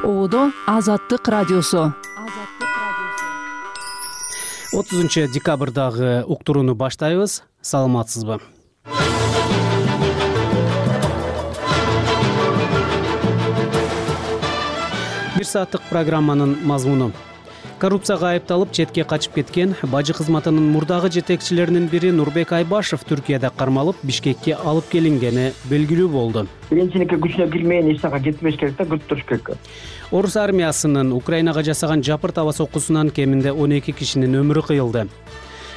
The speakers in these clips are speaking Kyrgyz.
Оодо Азаттык радиосу. 30-декабрдагы уктурууну баштайбыз. Саламатсызбы? Бир сааттык программанын мазмуну: коррупцияга айыпталып четке качып кеткен бажы кызматынын мурдагы жетекчилеринин бири Нурбек Айбашев Түркияда кармалып, Бишкекке алып келингени белгилүү болду. Биринчиликке күчүнө кирмеген эч жака кетпеш керек да, күтүп туруш керек. Орус армиясынын Украинага жасаган жапыр таба соккусунан кеминде 12 кишинин өмүрү кыйылды.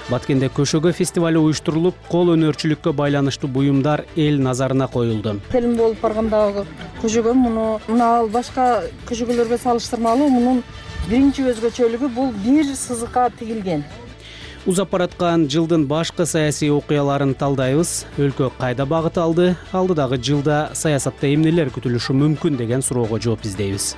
Баткенде көшөгө фестивали уюштурулуп, кол өнөрчүлүккө байланыштуу буюмдар эл назарына коюлду. Фильм болуп баргандагы көшөгө мына башка көшөгөлөргө салыштырмалуу мунун биринчи өзгөчөлүгү бул бир сызыкка тигилген. Узап бараткан жылдын башкы саясий окуяларын талдайбыз. Өлкө кайда багыт алды? Алдыдагы жылда саясатта эмнелер күтүлүшү мүмкүн деген суроого жооп издейбиз.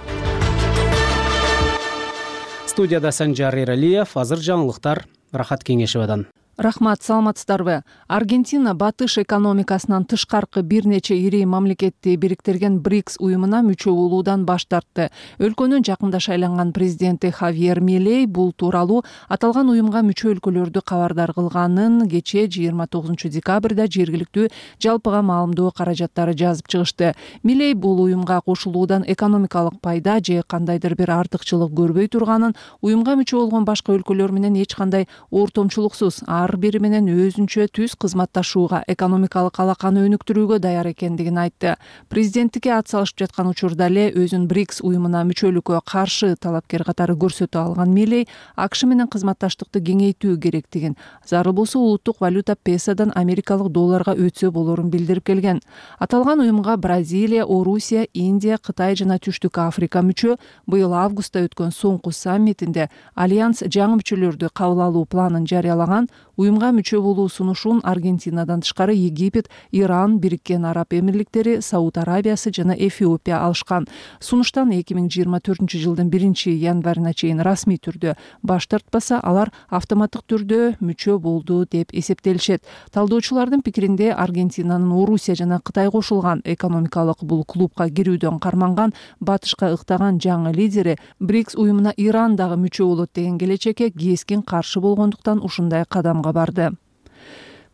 Студияда Санжар Эралиев. Азыр жаңылыктар Рахат Кеңешевадан. Рахмат, саламатсыздарбы? Аргентина батыш экономикасынан тышкаркы бир нече ири мамлекетти бириктирген БРИКС уюмуна мүчө болуудан баш тартты. Өлкөнүн жакында шайланган президенти Хавьер Милей бул тууралуу аталган уюмга мүчө өлкөлөрдү кабардар кылганын кечээ 29-декабрда жергиликтүү жалпыга маалымдоо каражаттары жазып чыгышты. Милей бул уюмга кошулуудан экономикалык пайда же кандайдыр бир артыкчылык көрбөй турганын, уюмга мүчө болгон башка өлкөлөр менен эч кандай ортомчулуксуз ар бири менен өзүнчө түз кызматташууга, экономикалык алаканы өнүктүрүүгө даяр экендигин айтты. Президенттикке ат салышып жаткан учурда эле өзүн БРИКС уюмуна мүчөлүккө каршы талапкер катары көрсөтө алган Милей АКШ менен кызматташтыкты кеңейтүү керектигин, зарыл болсо улуттук валюта песодон америкалык долларга өтсө болорун билдирип келген. Аталган уюмга Бразилия, Орусия, Индия, Кытай жана Түштүк Африка мүчө. Быйыл августта өткөн соңку саммитинде Альянс жаңы мүчөлөрдү кабыл алуу планын жарыялаган. Уюмга мүчө болуу сунушун Аргентинадан тышкары Египет, Иран, Бириккен Араб Эмирликтери, Сауд Арабиясы жана Эфиопия алышкан. Сунуштан 2024-жылдын 1-январына чейин расмий түрдө баш тартпаса, алар автоматтык түрдө мүчө болду деп эсептелишет. Талдоочулардын пикиринде Аргентинанын Орусия жана Кытай кошулган экономикалык бул клубка кирүүдөн карманган, батышка ыктаган жаңы лидери БРИКС уюмуна Иран дагы мүчө болот деген келечекке кескин каршы болгондуктан ушундай кадамга барды.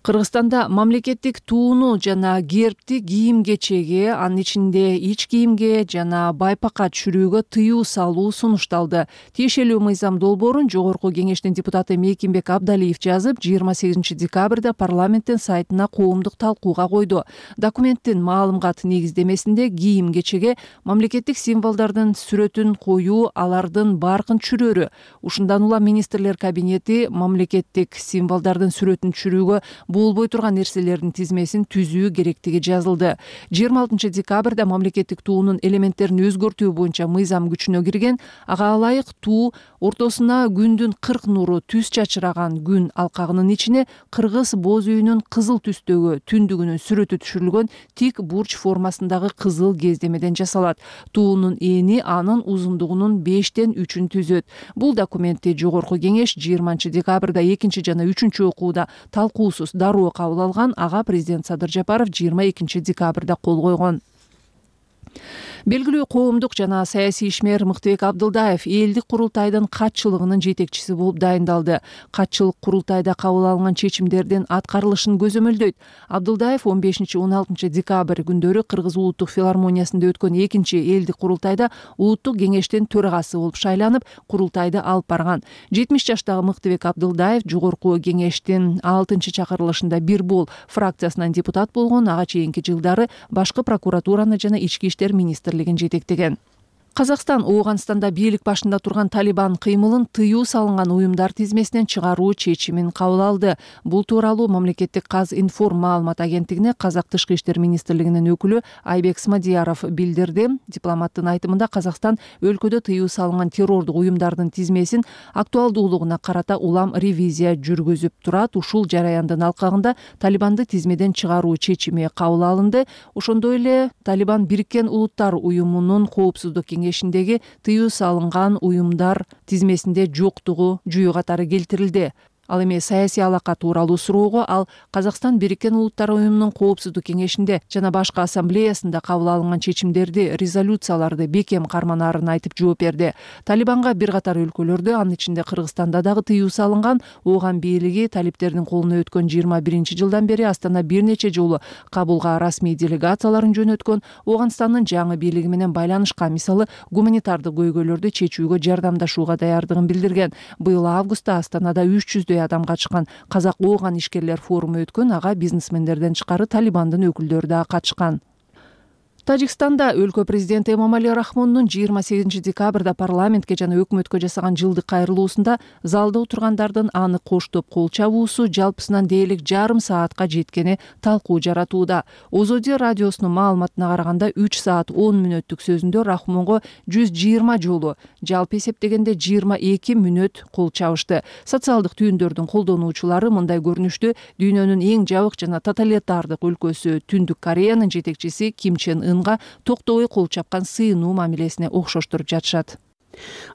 Кыргызстанда мамлекеттик тууну жана гербти кийим-кечеге, анын ичинде ич кийимге жана байпакка түшүрүүгө тыюу салуу сунушталды. Тиешелүү мыйзам долбоорун Жогорку Кеңештин депутаты Мейкимбек Абдалиев жазып, 28-декабрда парламенттин сайтына коомдук талкууга койду. Документтин маалымгат негиздемесинде кийим-кечеге мамлекеттик символдордун сүрөтүн коюу, алардын баркын түшүрөрү. Ушундан улам министрлер кабинети мамлекеттик символдордун сүрөтүн түшүрүүгө болбой турган нерселердин тизмесин түзүү керектиги жазылды. 26-декабрда мамлекеттик туунун элементтерин өзгөртүү боюнча мыйзам күчүнө кирген. Ага ылайык туу ортосуна күндүн 40 нуру түз чачыраган күн алкагынын ичине кыргыз боз үйүнүн кызыл түстөгү түндүгүнүн сүрөтү түшүрүлгөн тик бурч формасындагы кызыл кездемеден жасалат. Туунун эни анын узундугунун 5тен 3-ün түзөт. Бул документти Жогорку Кеңеш 20-декабрда 2 жана 3 окууда талкуусуз дароо кабыл алган. Ага президент Садыр Жапаров 22-декабрда кол койгон. Белгилүү коомдук жана саясий ишмер Мыктыбек Абдылдаев элдик курултайдын катчылыгынын жетекчиси болуп дайындалды. Катчылык курултайда кабыл алынган чечимдердин аткарылышын көзөмөлдөйт. Абдылдаев 15-16 декабрь күндөрү Кыргыз улуттук филармониясында өткөн 2-чи элдик курултайда улуттук кеңештин төрагасы болуп шайланып, курултайды алып барган. 70 жаштагы Мыктыбек Абдылдаев Жогорку Кеңештин 6-чы чакырылышында бир бол фракциясынан депутат болгон. Ага чейинки жылдары башкы прокуратураны жана ички иштер министрлигин жетектеген. Казакстан Ооганстанда бийлик башында турган Талибан кыймылын тыюу салынган уюмдар тизмесинен чыгаруу чечимин кабыл алды. Бул тууралуу мамлекеттик Казинформ маалымат агенттигине Казак тышкы иштер министрлигинин өкүлү Айбек Смадияров билдирди. Дипломаттын айтымында Казакстан өлкөдө тыюу салынган террордук уюмдардын тизмесин актуалдуулугуна карата улам ревизия жүргүзүп турат. Ушул жараяндын алкагында Талибанды тизмеден чыгаруу чечими кабыл алынды. Ошондой эле Талибан Бириккен Улуттар уюмунун коопсуздук кеңешиндеги тыюу салынган уюмдар тизмесинде жоктугу жүйө катары келтирилди. Ал эми саясий алака тууралуу суроого ал Казакстан Бириккен Улуттар уюмунун Коопсуздук кеңешинде жана башка ассамблеясында кабыл алынган чечимдерди, резолюцияларды бекем карманаарын айтып жооп берди. Талибанга бир катар өлкөлөрдө, анын ичинде Кыргызстанда дагы тыюу салынган. Ооган бийлиги талиптердин колуна өткөн 21-жылдан бери Астана бир нече жолу Кабулга расмий делегацияларын жөнөткөн. Ооганстандын жаңы бийлиги менен байланышкан, мисалы гуманитардык көйгөйлөрдү чечүүгө жардамдашууга даярдыгын билдирген. Быйыл августта Астанада 300 адам катышкан Казак-Ооган ишкерлер форуму өткөн. Ага бизнесмендерден тышкары Талибандын өкүлдөрү да катышкан. Тажикстанда өлкө президенти Эмомали Рахмондун 28 декабрда парламентке жана өкмөткө жасаган жылдык кайрылуусунда залда отургандардын аны коштоп кол чабуусу жалпысынан дээрлик жарым саатка жеткени талкуу жаратууда. Озоди радиосунун маалыматына караганда 3 саат 10 мүнөттүк сөзүндө Рахмонго 120 жолу, жалпы эсептегенде 22 мүнөт кол чабышты. Социалдык түйүндөрдүн колдонуучулары мындай көрүнүштү дүйнөнүн эң жабык жана тоталитардык өлкөсү Түндүк Кореянын жетекчиси Ким Чен Ын токтобой кол чапкан сыйынуу мамилесине окшоштуруп жатышат.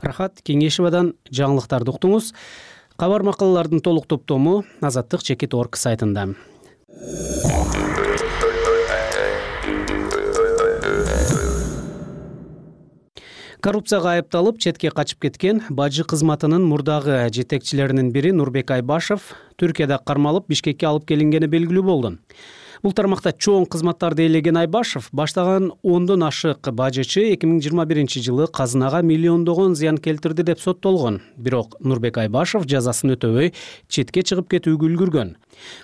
Рахат Кеңешевадан жаңылыктарды уктуңуз. Кабар макалалардын толук топтому Азаттык.org сайтында. Коррупцияга айыпталып четке качып кеткен бажы кызматынын мурдагы жетекчилеринин бири Нурбек Айбашев Түркияда кармалып Бишкекке алып келингени белгилүү болду. Бул тармакта чоң кызматтарды ээлеген Айбашев баштаган 10дон ашык бажычы 2021 казынага миллиондогон зыян келтирди деп соттолгон. Бирок Нурбек Айбашев жазасын өтөбөй четке чыгып кетүүгө үлгүргөн.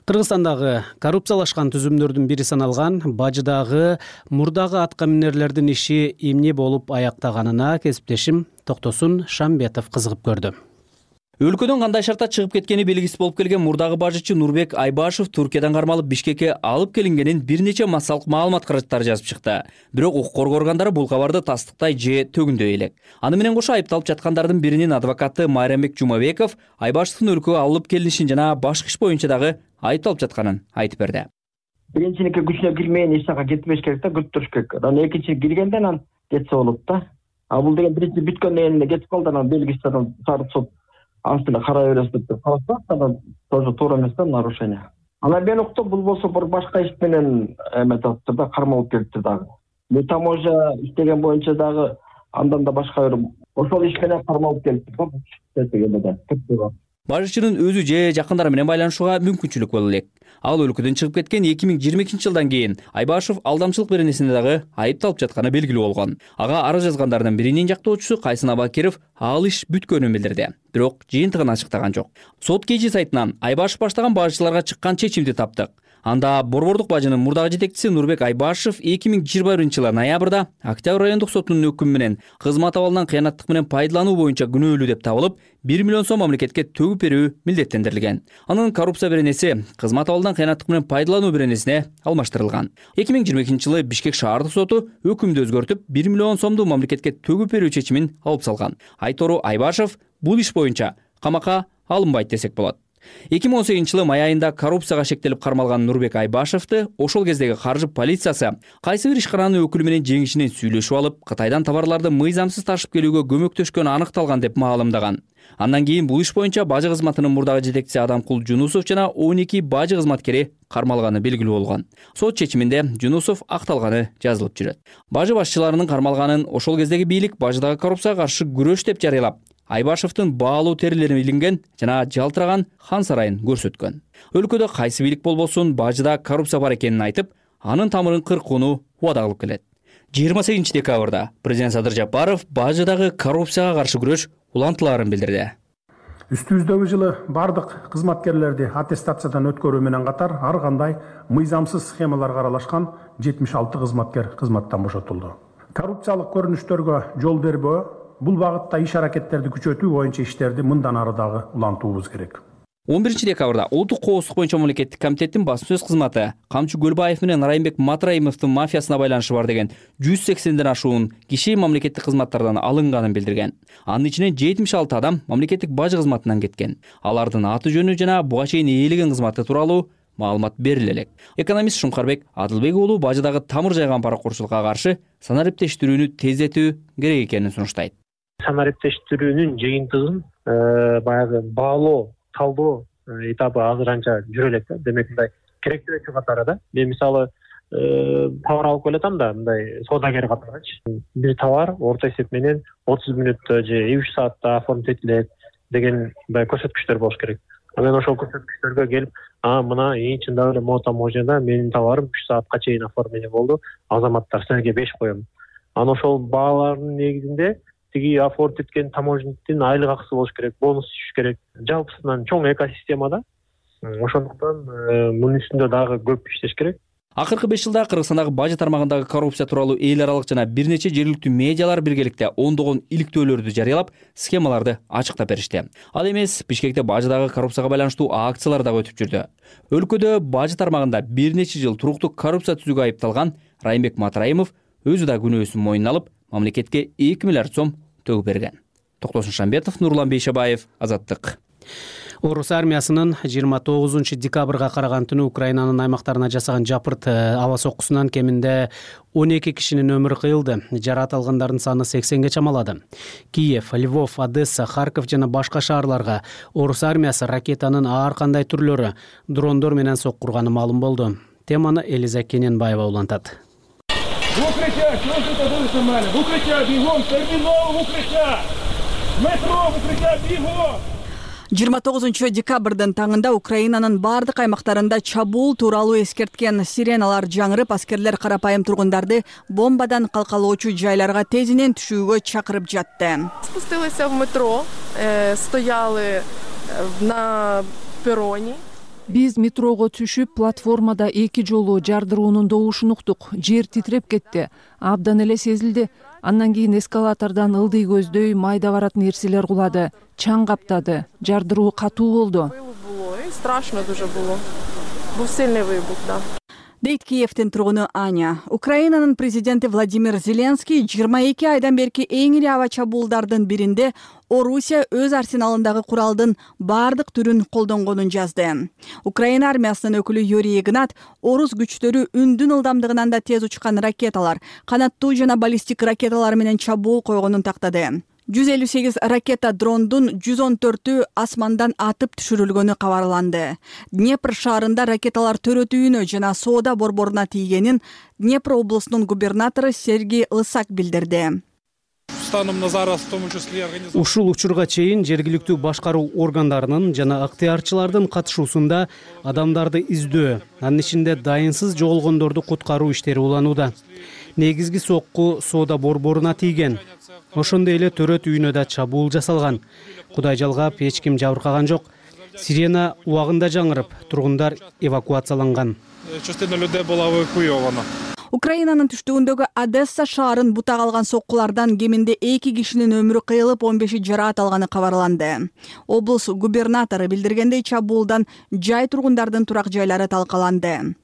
Кыргызстандагы коррупциялашкан түзүмдөрдүн бири саналган бажыдагы мурдагы аткаминерлердин иши эмне болуп аяктаганына кесиптешим Токтосун Шамбетов кызыгып көрдү. Өлкөдөн кандай шартта чыгып кеткени белгисиз болуп келген мурдагы бажычы Нурбек Айбашев Түркиядан кармалып Бишкекке алып келингенин бир нече массалык маалымат каражаттары жазып чыкты. Бирок укук коргоо органдары бул кабарды тастыктай же төгүндөй элек. Аны менен кошо айыпталып жаткандардын биринин адвокаты Майрамбек Жумабеков Айбашевдин өлкөгө алып келинишин жана башкы иш боюнча дагы айыпталып жатканын айтып берди. Биринчиники күчүнө кирмейин эч жака кетпеш керек да, күттүрүш керек. Анан экинчи киргенде анан кетсе болот да. А бул деген биринчи бүткөндөн кийин кетип калды, анан белгисиз анан сарып сот астына карай бересиз деп карасак, анан тоже туура эмес да, нарушение. Анан мен уктум, бул болсо бир башка иш менен эметиптир да, кармалып келиптир дагы. Бул таможня иштеген боюнча дагы андан да башка бир ошол иш менен кармалып келиптир да. Бажычынын өзү же жакындары менен байланышууга мүмкүнчүлүк боло элек. Ал өлкөдөн чыгып кеткен 2022 жылдан кийин Айбашев алдамчылык беренесинде дагы айыпталып жатканы белгилүү болгон. Ага арыз жазгандардын биринин жактоочусу Кайсын Абакиров ал иш бүткөнүн билдирди. Бирок жыйынтыгын ачыктаган жок. Сот КЖ сайтынан Айбашев баштаган бажычыларга чыккан чечимди таптык. Анда Борбордук бажынын мурдагы жетекчиси Нурбек Айбашев 2021 жылы ноябрда Октябрь райондук сотунун өкүмү менен кызмат абалынан кыянаттык менен пайдалануу боюнча күнөөлүү деп табылып, 1 миллион сом мамлекетке төгүп берүү милдеттендирилген. Анын коррупция беренеси кызмат абалынан кыянаттык менен пайдалануу беренесине алмаштырылган. 2022 жылы Бишкек шаардык соту өкүмдү өзгөртүп, 1 миллион сомду мамлекетке төгүп берүү чечимин алып салган. Айтору Айбашев бул иш боюнча камакка алынбайт десек болот. 2018 жылы май айында коррупцияга шектелип кармалган Нурбек Айбашевди ошол кездеги каржы полициясы кайсы бир ишкананын өкүлү менен жеңишинен сүйлөшүп алып, Кытайдан товарларды мыйзамсыз ташып келүүгө көмөктөшкөнү аныкталган деп маалымдаган. Андан кийин бул иш боюнча бажы кызматынын мурдагы жетекчиси Адамкул Жунусов жана 12 бажы кызматкери кармалганы белгилүү болгон. Сот чечиминде Жунусов акталганы жазылып жүрөт. Бажы башчыларынын кармалганын ошол кездеги бийлик бажыдагы коррупцияга каршы күрөш деп жарыялап, Айбашевдин баалуу терилери илинген жана жалтыраган хан сарайын көрсөткөн. Өлкөдө кайсы бийлик болбосун бажыда коррупция бар экенин айтып, анын тамырын кыркууну убада кылып келет. 28 декабрда президент Садыр Жапаров бажыдагы коррупцияга каршы күрөш улантыларын билдирди. Үстүбүздөгү жылы бардык кызматкерлерди аттестациядан өткөрүү менен катар ар кандай мыйзамсыз схемаларга аралашкан 76 кызматкер кызматтан бошотулду. Коррупциялык көрүнүштөргө жол бербөө, бул багытта иш аракеттерди күчөтүү боюнча иштерди мындан ары дагы улантуубуз керек. 11 декабрда Улуттук коопсуздук боюнча мамлекеттик комитеттин басма сөз кызматы Камчы Көлбаев менен Райымбек Матраимовдун мафиясына байланышы бар деген 180ден ашуун киши мамлекеттик кызматтардан алынганын билдирген. Анын ичинен 76 адам мамлекеттик бажы кызматынан кеткен. Алардын аты жөнү жана буга чейин ээлеген кызматы тууралуу маалымат бериле элек. Экономист Шумкарбек Адылбек уулу бажыдагы тамыр жайган паракурчулукка каршы санариптештирүүнү тездетүү керек экенин сунуштайт. Санариптештирүүнүн жыйынтыгын баягы баалоо, талдоо этабы азыр анча жүрө элек да. Демек мындай керектүүчү катары да. Мен мисалы товар алып келатам да, мындай соодагер катарычы. Бир товар орто эсеп менен 30 мүнөттө же 3 саатта оформить этилет деген мындай көрсөткүчтөр болуш керек. Мен ошол көрсөткүчтөргө келип, мына чындап эле мотоможада менин товарым 3 саатка чейин оформление болду. Азаматтар силерге 5 коем. Анан ошол баалардын негизинде тиги оформить эткен таможенниктин айлык акысы болуш керек, бонус түшүш керек. Жалпысынан чоң экосистема да. Ошондуктан мунун үстүндө дагы көп иштеш керек. Акыркы 5 жылда Кыргызстандагы бажы тармагындагы коррупция тууралуу эл аралык жана бир нече жергиликтүү медиалар биргеликте ондогон иликтөөлөрдү жарыялап, схемаларды ачыктап беришти. Ал эмес, Бишкекте бажыдагы коррупцияга байланыштуу акциялар дагы өтүп жүрдү. Өлкөдө бажы тармагында бир нече жыл туруктуу коррупция түзүүгө айыпталган Райымбек Матраимов өзү да күнөөсүн мойнуна алып, мамлекетке 2 миллиард сом төгүп берген. Токтосун Шамбетов, Нурлан Бейшебаев, Азаттык. Орус армиясынын 29-декабрга караган түнү Украинанын аймактарына жасаган жапырт аба соккусунан кеминде 12 кишинин өмүрү кыйылды. Жараат алгандардын саны 80ге чамалады. Киев, Львов, Одесса, Харьков жана башка шаарларга орус армиясы ракетанын ар кандай түрлөрү, дрондор менен соккурганы маалым болду. Теманы Элиза Кененбаева улантат. В укрытие! Чего же это было нормально? В укрытие! Бегом! Терминал в укрытие! Метро в укрытие! Бегом! 29-декабрдын таңында Украинанын бардык аймактарында чабуул тууралуу эскерткен сиреналар жаңырып, аскерлер карапайым тургундарды бомбадан калкалоочу жайларга тезинен түшүүгө чакырып жатты. Спустилися в метро, стояли на перроне. Биз метрого түшүп, платформада 2 жолу жардыруунун добушун уктук. Жер титиреп кетти. Абдан эле сезилди. Андан кийин эскалатордон ылдый көздөй майда баратын нерселер кулады. Чаң каптады. Жардыруу катуу болду. Страшно дуже было. Был сильный выбух, да. Дейт Киевтин тургуну Аня. Украинанын президенти Владимир Зеленский 22 айдан берки эң ири аба чабуулдардын биринде Орусия өз арсеналындагы куралдын бардык түрүн колдонгонун жазды. Украина армиясынын өкүлү Юрий Игнат орус күчтөрү үндүн ылдамдыгынан да тез учкан ракеталар, канаттуу жана баллистик ракеталар менен чабуул койгонун тактады. 158 ракета дрондун 114-ü асмандан атып түшүрүлгөнү кабарланды. Днепр шаарында ракеталар төрөтүүнө жана соода борборуна тийгенин Днепр облусунун губернатору Сергей Лысак билдирди. Ушул учурга чейин жергиликтүү башкаруу органдарынын жана ыктыярчылардын катышуусунда адамдарды издөө, анын ичинде дайынсыз жоголгондорду куткаруу иштери уланууда. Негизги сокку соода борборуна тийген. Ошондой эле төрөт үйүнө да чабуул жасалган. Кудай жалгап, эч ким жабыркаган жок. Сирена убагында жаңырып, тургундар эвакуацияланган. Украинанын түштүгүндөгү Одесса шаарын бутак алган соккулардан кеминде 2 кишинин өмүрү кыйылып, 15-и жараат алганы кабарланды. Облус губернатору билдиргендей, чабуулдан жай тургундардын турак жайлары талкаланды.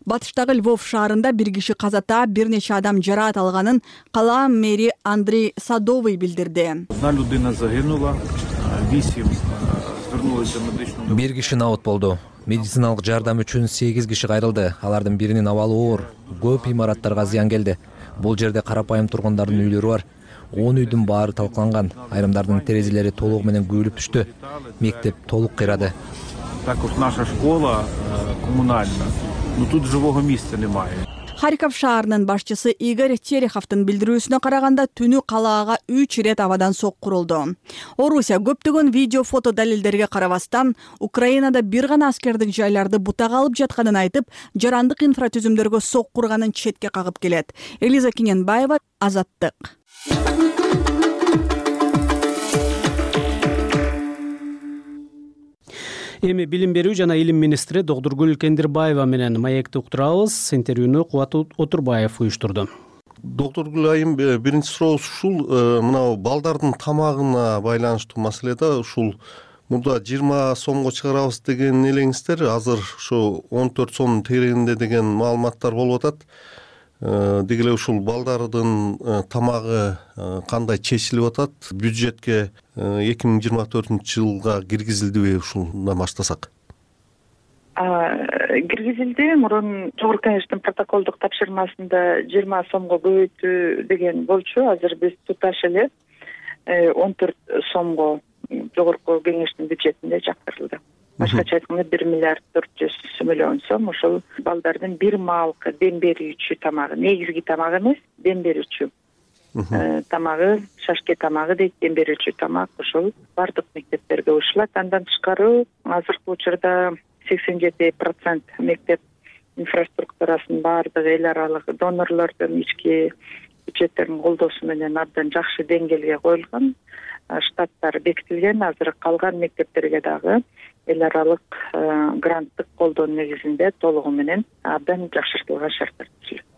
Батыштагы Львов шаарында 1 киши каза таап, бир нече адам жараат алганын кала мэри Андрей Садовый билдирди. Бир киши абат болду. Медициналык жардам үчүн 8 киши кайрылды. Алардын биринин абалы оор. Көп имараттарга зыян келди. Бул жерде карапайым тургундардын үйлөрү бар. 10 үйдүн баары талкаланган. Айрымдардын терезелери толугу менен күйүлүп түштү. Мектеп толук кыйрады. Також наша школа коммунальна. Но тут живого места немає. Харьков шаарынын башчысы Игорь Тереховдун билдирүүсүнө караганда, түнү калаага 3 ирет абадан соккурулду. Орусия көптөгөн видео, фото далилдерге карабастан, Украинада бир гана аскердик жайларды бутак алып жатканын айтып, жарандык инфратүзүмдөргө соккурганын четке кагып келет. Элиза Кененбаева, Азаттык. Эми билим берүү жана илим министри Доктургүл Кендирбаева менен маекти уктурабыз. Интервьюну Кубат Отурбаев уюштурду. Доктургүл айым, биринчи суроо ушул мына балдардын тамагына байланыштуу маселе да. Ушул мурда 20 сомго чыгарабыз деген элеңиздер, азыр ушу 14 сом тегерегинде деген маалыматтар болуп атат. Деги эле ушул балдардын тамагы кандай чечилип атат? Бюджетке 2024-жылга киргизилдиби, ушундан баштасак? Киргизилди. Мурун Жогорку кеңештин протоколдук тапшырмасында 20 сомго көбөйтүү деген болчу. Азыр биз туташ эле 14 сомго Жогорку кеңештин бюджетинде жаткырылды. башкача айтканда 1,4 миллиард сом ошол балдардын бир маалкы дем берүүчү тамагы, негизги тамак эмес, дем берүүчү тамагы, шашке тамагы дейт, дем берүүчү тамак ошол бардык мектептерге ушулат. Андан тышкары азыркы учурда 87% мектеп инфраструктурасын баардык эл аралык донорлордун ички бюджеттердин колдоосу менен абдан жакшы деңгээлге коюлган, штаттар бекитилген. Азыр калган мектептерге дагы эл аралык гранттык колдоо негизинде толугу менен абдан жакшыртылган шарттар түзүлөт.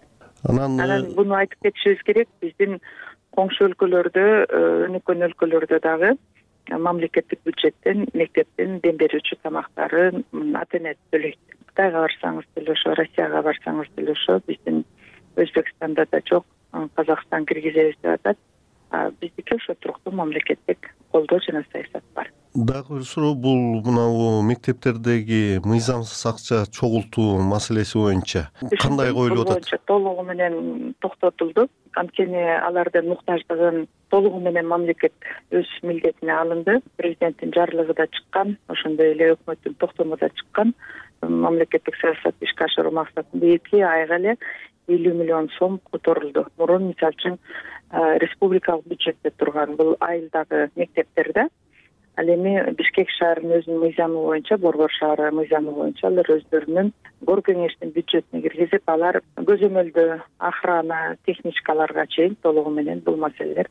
Анан буну айтып кетишибиз керек, биздин коңшу өлкөлөрдө, өнүккөн өлкөлөрдө дагы мамлекеттик бюджеттен мектептин дем берүүчү тамактарын ата эне төлөйт. Кытайга барсаңыз төлөшө, Россияга барсаңыз төлөшө, биздин Өзбекстанда да жок, Казакстан киргизебиз деп атат. Биздики ошо туруктуу мамлекеттик колдоо жана саясат бар. Дагы бир суроо, бул мына мектептердеги мыйзамсыз акча чогултуу маселеси боюнча кандай коюлуп атат? Толугу менен токтотулду. Анткени алардын муктаждыгын толугу менен мамлекет өз милдетине алынды. Президенттин жарлыгы да чыккан, ошондой эле өкмөттүн токтому да чыккан. Мамлекеттик саясатты ишке ашыруу максатында 2 айга эле 50 миллион сом которулду. Мурун мисалы үчүн республикалык бюджетте турган бул айылдагы мектептерде, ал эми Бишкек шаарынын өзүнүн мыйзамы боюнча, Борбор шаары мыйзамы боюнча алар өздөрүнүн гор кеңештин бюджетине киргизип, алар көзөмөлдө охрана, техничкаларга чейин толугу менен бул маселелер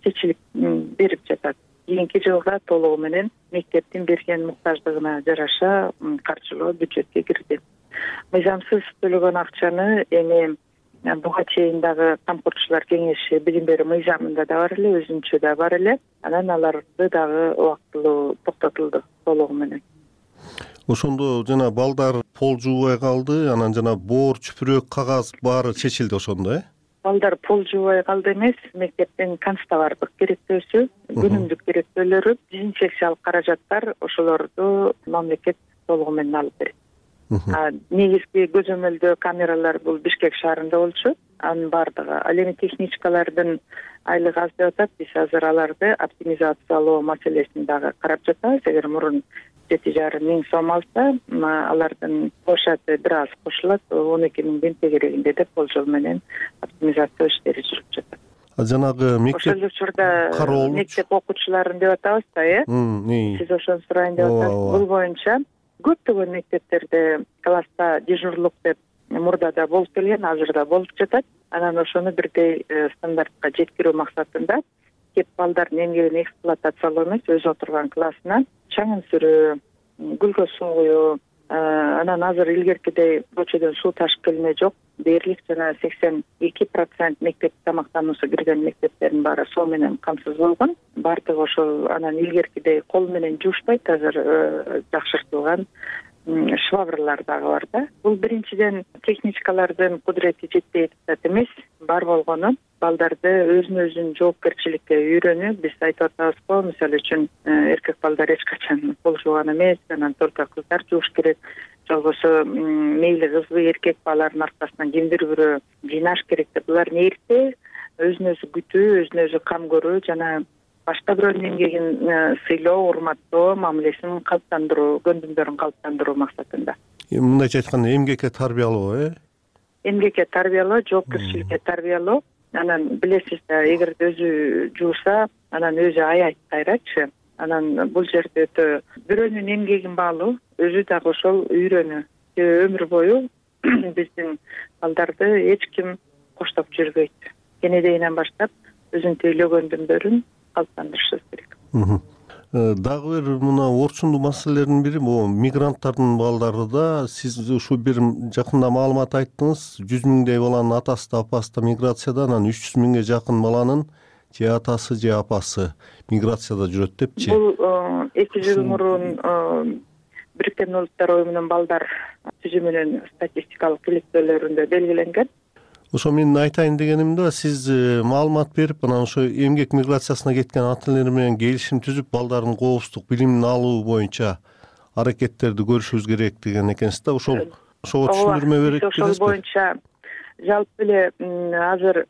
чечилип берип жатат. Кийинки жылга толугу менен мектептин берген муктаждыгына жараша каржылоо бюджетке кирди. Мыйзамсыз төлөгөн акчаны эми буга чейин дагы камкорчулар кеңеши билим берүү мыйзамында да бар эле, өзүнчө да бар эле. Анан аларды дагы убактылуу токтотулду толугу менен. Ошондо жана балдар пол жуубай калды, анан жана боор, чүпүрөк, кагаз баары чечилди ошондо, Балдар пол жуубай калды эмес, мектептин канцтовардык керектөөсү, күнүмдүк керектөөлөрү, дезинфекциялык каражаттар ошолорду мамлекет толугу менен алып берет. Негизги көзөмөлдөө камералар бул Бишкек шаарында болчу. Анын бардыгы ал эми техничкалардын айлыгы аз деп атат. Биз азыр аларды оптимизациялоо маселесин дагы карап жатабыз. Эгер мурун 7,5 миң сом алса, алардын площады бир аз кошулат, 12 миңдин тегерегинде деп болжол менен оптимизация иштери жүрүп жатат. Жанагы мектеп ошол учурда мектеп окуучуларын деп атабыз да, Сиз ошону сурайын деп атасыз. Бул боюнча көптөгөн мектептерде класста дежурлук деп мурда да болуп келген, азыр да болуп жатат. Анан ошону бирдей стандартка жеткирүү максатында кеп балдардын эмгегин эксплуатациялоо эмес, өзү отурган классына чаңын сүрүү, гүлгө суу куюу, анан азыр илгеркидей көчөдөн суу ташып келме жок. Дээрлик жана 82% мектеп тамактануусу кирген мектептердин баары суу менен камсыз болгон. Бардыгы ошол анан илгеркидей кол менен жуушпайт, азыр жакшыртылган швабрлар дагы бар да. Бул биринчиден техничкалардын кудурети жетпей атат эмес, бар болгону балдарды өзүн жоопкерчиликке үйрөнүү. Биз айтып атабыз го, мисалы үчүн эркек балдар эч качан кол жууган эмес, анан только кыздар жууш керек. Жолбосо мейли кызбы эркек балалардын аркасынан кимдир бирөө жыйнаш керек деп, булар эрте өзүн өзү күтүү, өзүн өзү кам көрүү жана башка бирөөнүн эмгегин сыйлоо, урматтоо, мамилесин калыптандыруу, көндүмдөрүн калыптандыруу максатында. Мындайча айтканда эмгекке тарбиялоо, Эмгекке тарбиялоо, жоопкерчиликке тарбиялоо. Анан билесиз да, эгер өзү жууса, анан өзү аябайт кайрачы. Анан бул жерде өтө бирөөнүн эмгегин баалуу, өзү дагы ошол үйрөнүү. Өмүр бою биздин балдарды эч ким коштоп жүрбөйт. Кенедейинен баштап өзүнүн тейлөгөндүмдөрүн калыптандырышыбыз керек. Дагы бир мына орчундуу маселелердин бири бул мигранттардын балдары да. Сиз ушу бир жакында маалымат айттыңыз, 100 миңдей баланын атасы да апасы да миграцияда, анан 300 миңге жакын баланын же атасы же апасы миграцияда жүрөт депчи. Бул 2 жыл мурун Бириккен Улуттар Уюмунун балдар түзүмүнүн статистикалык иликтөөлөрүндө белгиленген. Ошо мен айтайын дегеним да, сиз маалымат берип, анан ошо эмгек миграциясына кеткен ата энелер менен келишим түзүп, балдардын коопсуздук билимин алуу боюнча аракеттерди көрүшүбүз керек деген экенсиз да. Ошого түшүндүрмө берет белесизби? Ошол боюнча жалпы эле азыр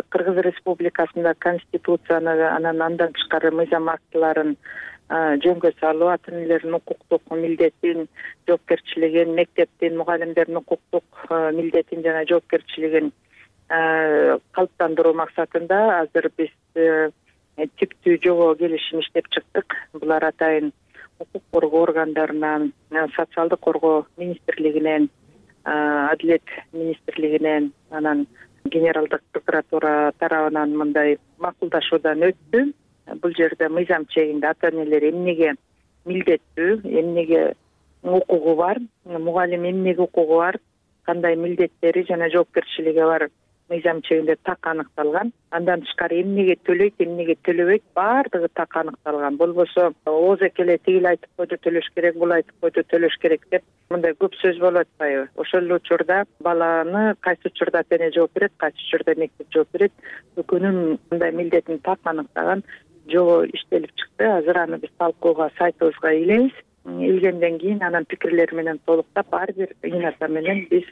Кыргыз Республикасында конституцияны, анан андан тышкары мыйзам актыларын жөнгө салуу, ата энелердин укуктук милдетин, жоопкерчилигин, мектептин, мугалимдердин укуктук милдетин жана жоопкерчилигин калыптандыруу максатында азыр биз типтүү жобо келишим иштеп чыктык. Булар атайын укук коргоо органдарынан, социалдык коргоо министрлигинен, Адилет министрлигинен, анан Генералдык прокуратура тарабынан мындай макулдашуудан өттү. Бул жерде мыйзам чегинде ата энелер эмнеге милдеттүү, эмнеге укугу бар, мугалим эмнеге укугу бар, кандай милдеттери жана жоопкерчилиги бар мыйзам чегинде так аныкталган. Андан тышкары эмнеге төлөйт, эмнеге төлөбөйт, баардыгы так аныкталган. Болбосо озек эле тигил айтып койду төлөш керек, бул айтып койду төлөш керек деп мындай көп сөз болуп атпайбы? Ошол эле учурда баланы кайсы учурда ата эне жооп берет, кайсы учурда мектеп жооп берет, экөөнүн мындай милдетин так аныктаган жобо иштелип чыкты. Азыр аны биз талкууга сайтыбызга илебиз. Илгенден кийин анан пикирлер менен толуктап ар бир ината менен биз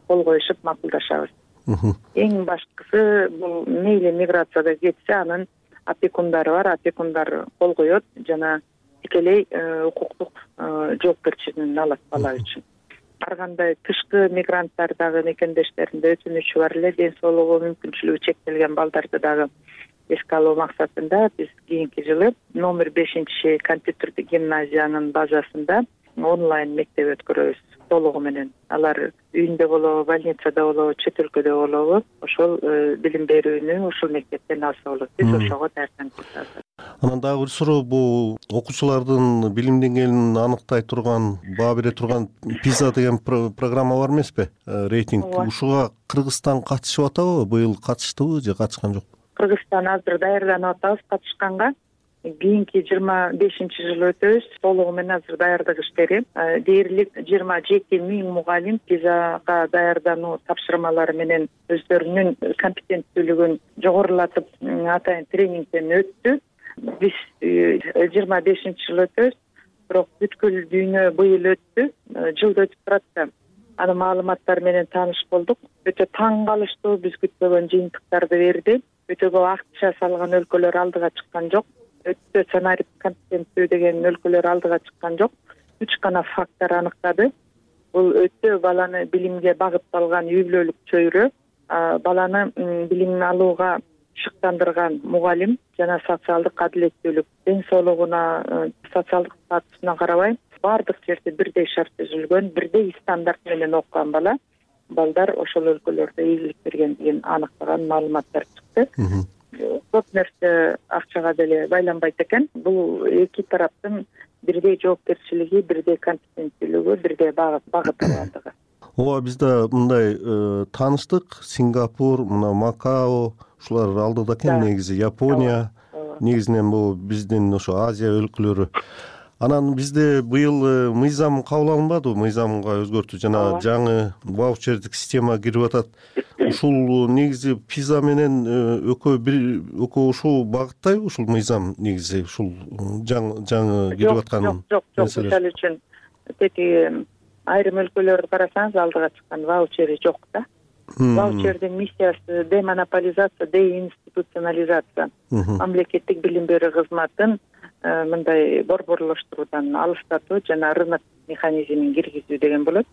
кол коюшуп макулдашабыз. Эң башкысы бул мейли миграцияда кетсе анын опекундары бар, опекундар кол коет жана тикелей укуктук жоопкерчилигин алат бала үчүн. Ар кандай тышкы мигранттар дагы мекендештеринде өтүнүчү бар эле, ден соолугу мүмкүнчүлүгү чектелген балдарды дагы эске алуу максатында биз кийинки жылы номер 5 компьютердик гимназиянын базасында онлайн мектеп өткөрөбүз толугу менен. Алар үйүндө болобу, больницада болобу, чет өлкөдө болобу, ошол билим берүүнү ошол мектептен алса болот. Биз ошого даярданып. Анан дагы бир суроо, бул окуучулардын билим деңгээлин аныктай турган, баа бере турган PISA деген программа бар эмеспи? Рейтинг. Ушуга Кыргызстан катышып атабы? Быйыл катыштыбы же катышкан жокпу? Кыргызстан азыр даярданып атабыз катышканга. Кийинки 25-жылы өтөбүз. Толугу менен азыр даярдык иштери. Дээрлик 27 миң мугалим PISAга даярдануу тапшырмалары менен өздөрүнүн компетенттүүлүгүн жогорулатып атайын тренингден өттү. Биз 25-жылы өтөбүз. Бирок бүткүл дүйнө быйыл өттү. Жылда өтүп турат да. Анын маалыматтары менен тааныш болдук. Өтө таң калыштуу, биз күтпөгөн жыйынтыктарды берди. Өтө көп акча салган өлкөлөр алдыга чыккан жок. Өтө сценарий компетенттүү деген өлкөлөр алдыга чыккан жок. 3 гана фактор аныктады. Бул өтө баланы билимге багытталган үй бүлөлүк чөйрө, баланы билим алууга шыктандырган мугалим жана социалдык адилеттүүлүк, ден соолугуна, социалдык статусуна карабай баардык жерде бирдей шарт түзүлгөн, бирдей стандарт менен окуган балдар ошол өлкөлөрдө ийгилик бергендигин аныктаган маалыматтар чыкты. Көп нерсе акчага деле байланбайт экен. Бул эки тараптын бирдей жоопкерчилиги, бирдей компетенттүүлүгү, бирдей багытталгандыгы. Ооба, бизде мындай тааныштык, Сингапур, мына Макао, ушулар алдыда экен негизи, Япония, негизинен бул биздин ошо Азия өлкөлөрү. Анан бизде быйыл мыйзам кабыл алынбадыбы? Мыйзамга өзгөртүү жана жаңы ваучердик система кирип атат. Ушул негизи PISA менен экөө ушул багыттайбы ушул мыйзам негизи ушул жаңы кирип аткан? Жок. Мисалы үчүн тети айрым өлкөлөрдү карасаңыз алдыга чыккан ваучери жок да. Ваучердин миссиясы демонополизация, деинституционализация. Мамлекеттик билим берүү кызматын мындай борборлоштуруудан алыстатуу жана рынок механизмин киргизүү деген болот.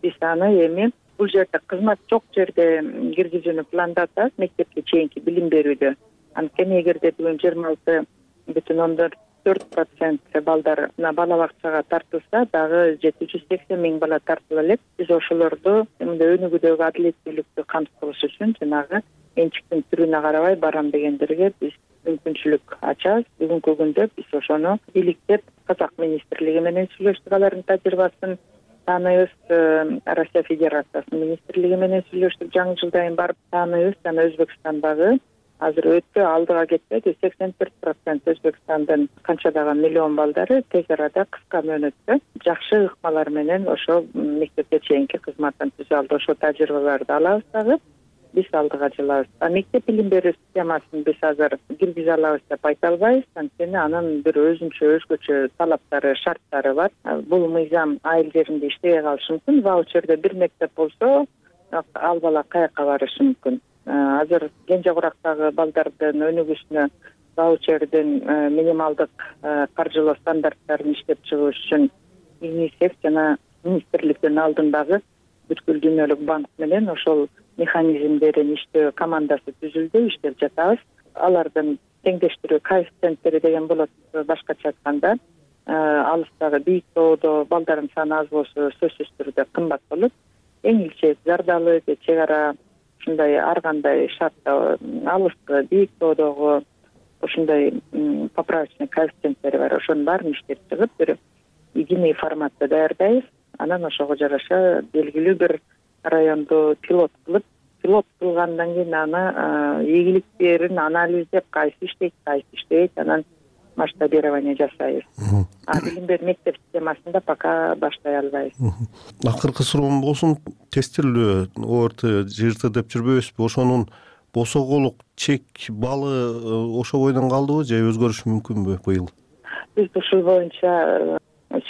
Биз аны эми бул жерде кызмат жок жерде киргизүүнү пландатабыз, мектепке чейинки билим берүүдө. Анткени эгерде бүгүн 26,4% балдар бала бакчага тартылса, дагы 780 миң бала тартыла элек. Биз ошолорду мындай өнүгүүдөгү адилеттүүлүктү камсыз кылыш үчүн жанагы менчиктин түрүнө карабай барам дегендерге биз мүмкүнчүлүк ачабыз. Бүгүнкү күндө биз ошону иликтеп Казак министрлиги менен сүйлөштүк, алардын тажрыйбасын тааныйбыз. Россия Федерациясынын министрлиги менен сүйлөштүк, жаңы жылдан барып тааныйбыз. Жана Өзбекстандагы азыр өтө алдыга кетпеди, 84% Өзбекстандын канчадаган миллион балдары тез арада кыска мөөнөттө жакшы ыкмалар менен ошо мектепке чейинки кызматтан түзө алды. Ошо тажрыйбаларды алабыз дагы. Биз алдыга жылабыз. Мектеп билим берүү системасын биз азыр киргизе алабыз деп айта албайбыз, анткени анын бир өзгөчө талаптары, шарттары бар. Бул мыйзам айыл жеринде иштебей калышы мүмкүн. Ваучерде бир мектеп болсо, ал бала каяка барышы мүмкүн. Азыр Кенже Курактагы балдардын өнүгүүсүнө ваучердин минималдык каржылоо стандарттарын иштеп чыгыш үчүн ЮНИСЕФ жана министрликтин алдындагы бүткүл дүйнөлүк банк менен ошол механизмдерин иштөө командасы түзүлдү, иштеп жатабыз. Алардын теңдештирүү коэффициенттери деген болот. Башкача айтканда, алыстагы бийик тоодо балдардын саны аз болсо сөзсүз түрдө кымбат болот. Эң илчек Зардалы, чек ара ушундай ар кандай шартта алыскы бийик тоодогу ушундай поправочный коэффициенттери бар. Ошонун баарын иштеп чыгып, бир единый форматта даярдайбыз. Анан ошого жараша белгилүү бир районду пилот кылгандан кийин аны ийгиликтерин анализдеп, кайсы иштейт, анан масштабирование жасайбыз. Билим берүү мектеп системасында пока баштай албайбыз. Акыркы суроом болсун, тестирлөө ОРТ ЖРТ деп жүрбөйбүзбү? Ошонун босоголук чек балы ошо бойдон калдыбы же өзгөрүшү мүмкүнбү быйыл? Биз ушул боюнча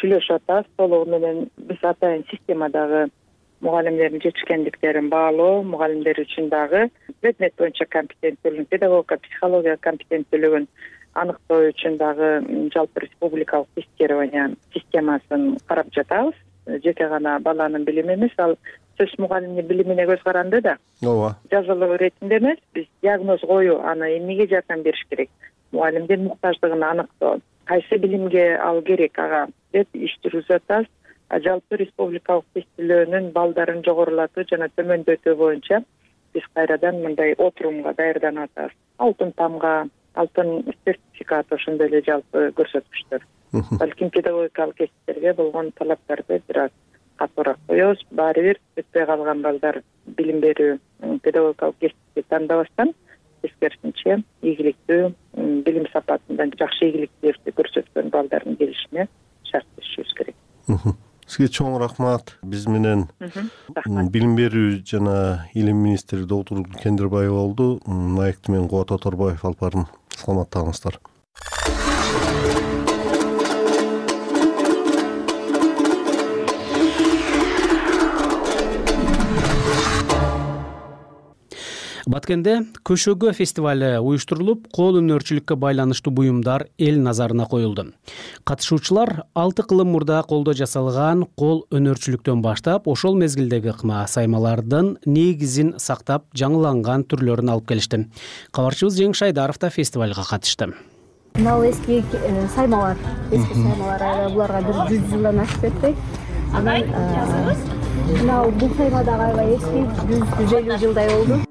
сүйлөшүп атабыз. Толугу менен биз атайын системадагы мугалимдердин жетишкендиктерин баалоо, мугалимдер үчүн дагы предмет боюнча компетенттүүлүгүн, педагогика, психология компетенттүүлүгүн аныктоо үчүн дагы жалпы республикалык тестирование системасын карап жатабыз. Жеке гана баланын билими эмес, ал сөз мугалимдин билимине көз каранды да. Ооба. Жазылуу иретинде эмес, биз диагноз коюу, аны эмнеге жардам бериш керек, мугалимдин муктаждыгын аныктоо, кайсы билимге ал керек ага деп иш жүргүзүп атабыз. Жалпы республикалык тестилөөнүн балдарын жогорулатуу жана төмөндөтүү боюнча биз кайрадан мындай отурумга даярданып атабыз. Алтын тамга, алтын сертификат, ошондой эле жалпы көрсөткүчтөр. Балким педагогикалык кесиптерге болгон талаптарды бир аз катуураак коебуз. Баары бир өтпөй калган балдар билим берүү педагогикалык кесипти тандабастан тескерисинче ийгиликтүү билим сапатында жакшы ийгиликтерди көрсөткөн балдардын келишине шартташышыбыз керек. Сизге чоң рахмат. Биз менен билим берүү жана илим министри доктор Кендирбаева болду. Маекти мен Кубат Оторбаев алып бардым. Саламаттаңыздар. Баткенде көшөгө фестивалы уюштурулуп, кол өнөрчүлүккө байланыштуу буюмдар эл назарына коюлду. Катышуучулар 6 кылым мурда колдо жасалган кол өнөрчүлүктөн баштап, ошол мезгилдеги ыкма саймалардын негизин сактап, жаңыланган түрлөрүн алып келишти. Кабарчыбыз Жеңиш Айдаров да фестивалга катышты. Мына эски саймалар, буларга бир 100 жылдан ашып кетти. Анан мына бул сайма дагы аябай эски, 150 жылдай болду.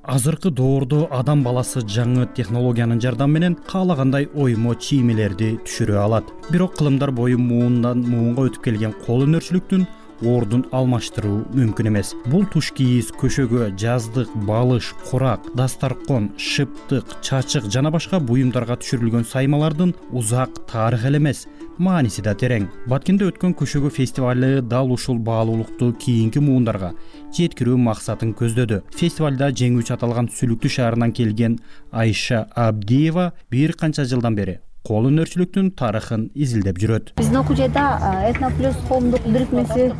Азыркы доордо адам баласы жаңы технологиянын жардамы менен каалагандай оймо чиймелерди түшүрө алат. Бирок кылымдар бою муундан муунга өтүп келген кол өнөрчүлүктүн ордун алмаштыруу мүмкүн эмес. Бул туш кийиз, көшөгө, жаздык, балыш, курак, дастаркон, шыптык, чачык жана башка буюмдарга түшүрүлгөн саймалардын узак тарыхы эле эмес, мааниси да терең. Баткенде өткөн көшөгө фестивалы дал ушул баалуулукту кийинки муундарга жеткирүү максатын көздөдү. Фестивалда жеңүүчү аталган Сүлүктүү шаарынан келген Айша Абдиева бир канча жылдан бери кол өнөрчүлүктүн тарыхын изилдеп жүрөт. Биздин окуучайда Этноплюс коомдук бирикмеси,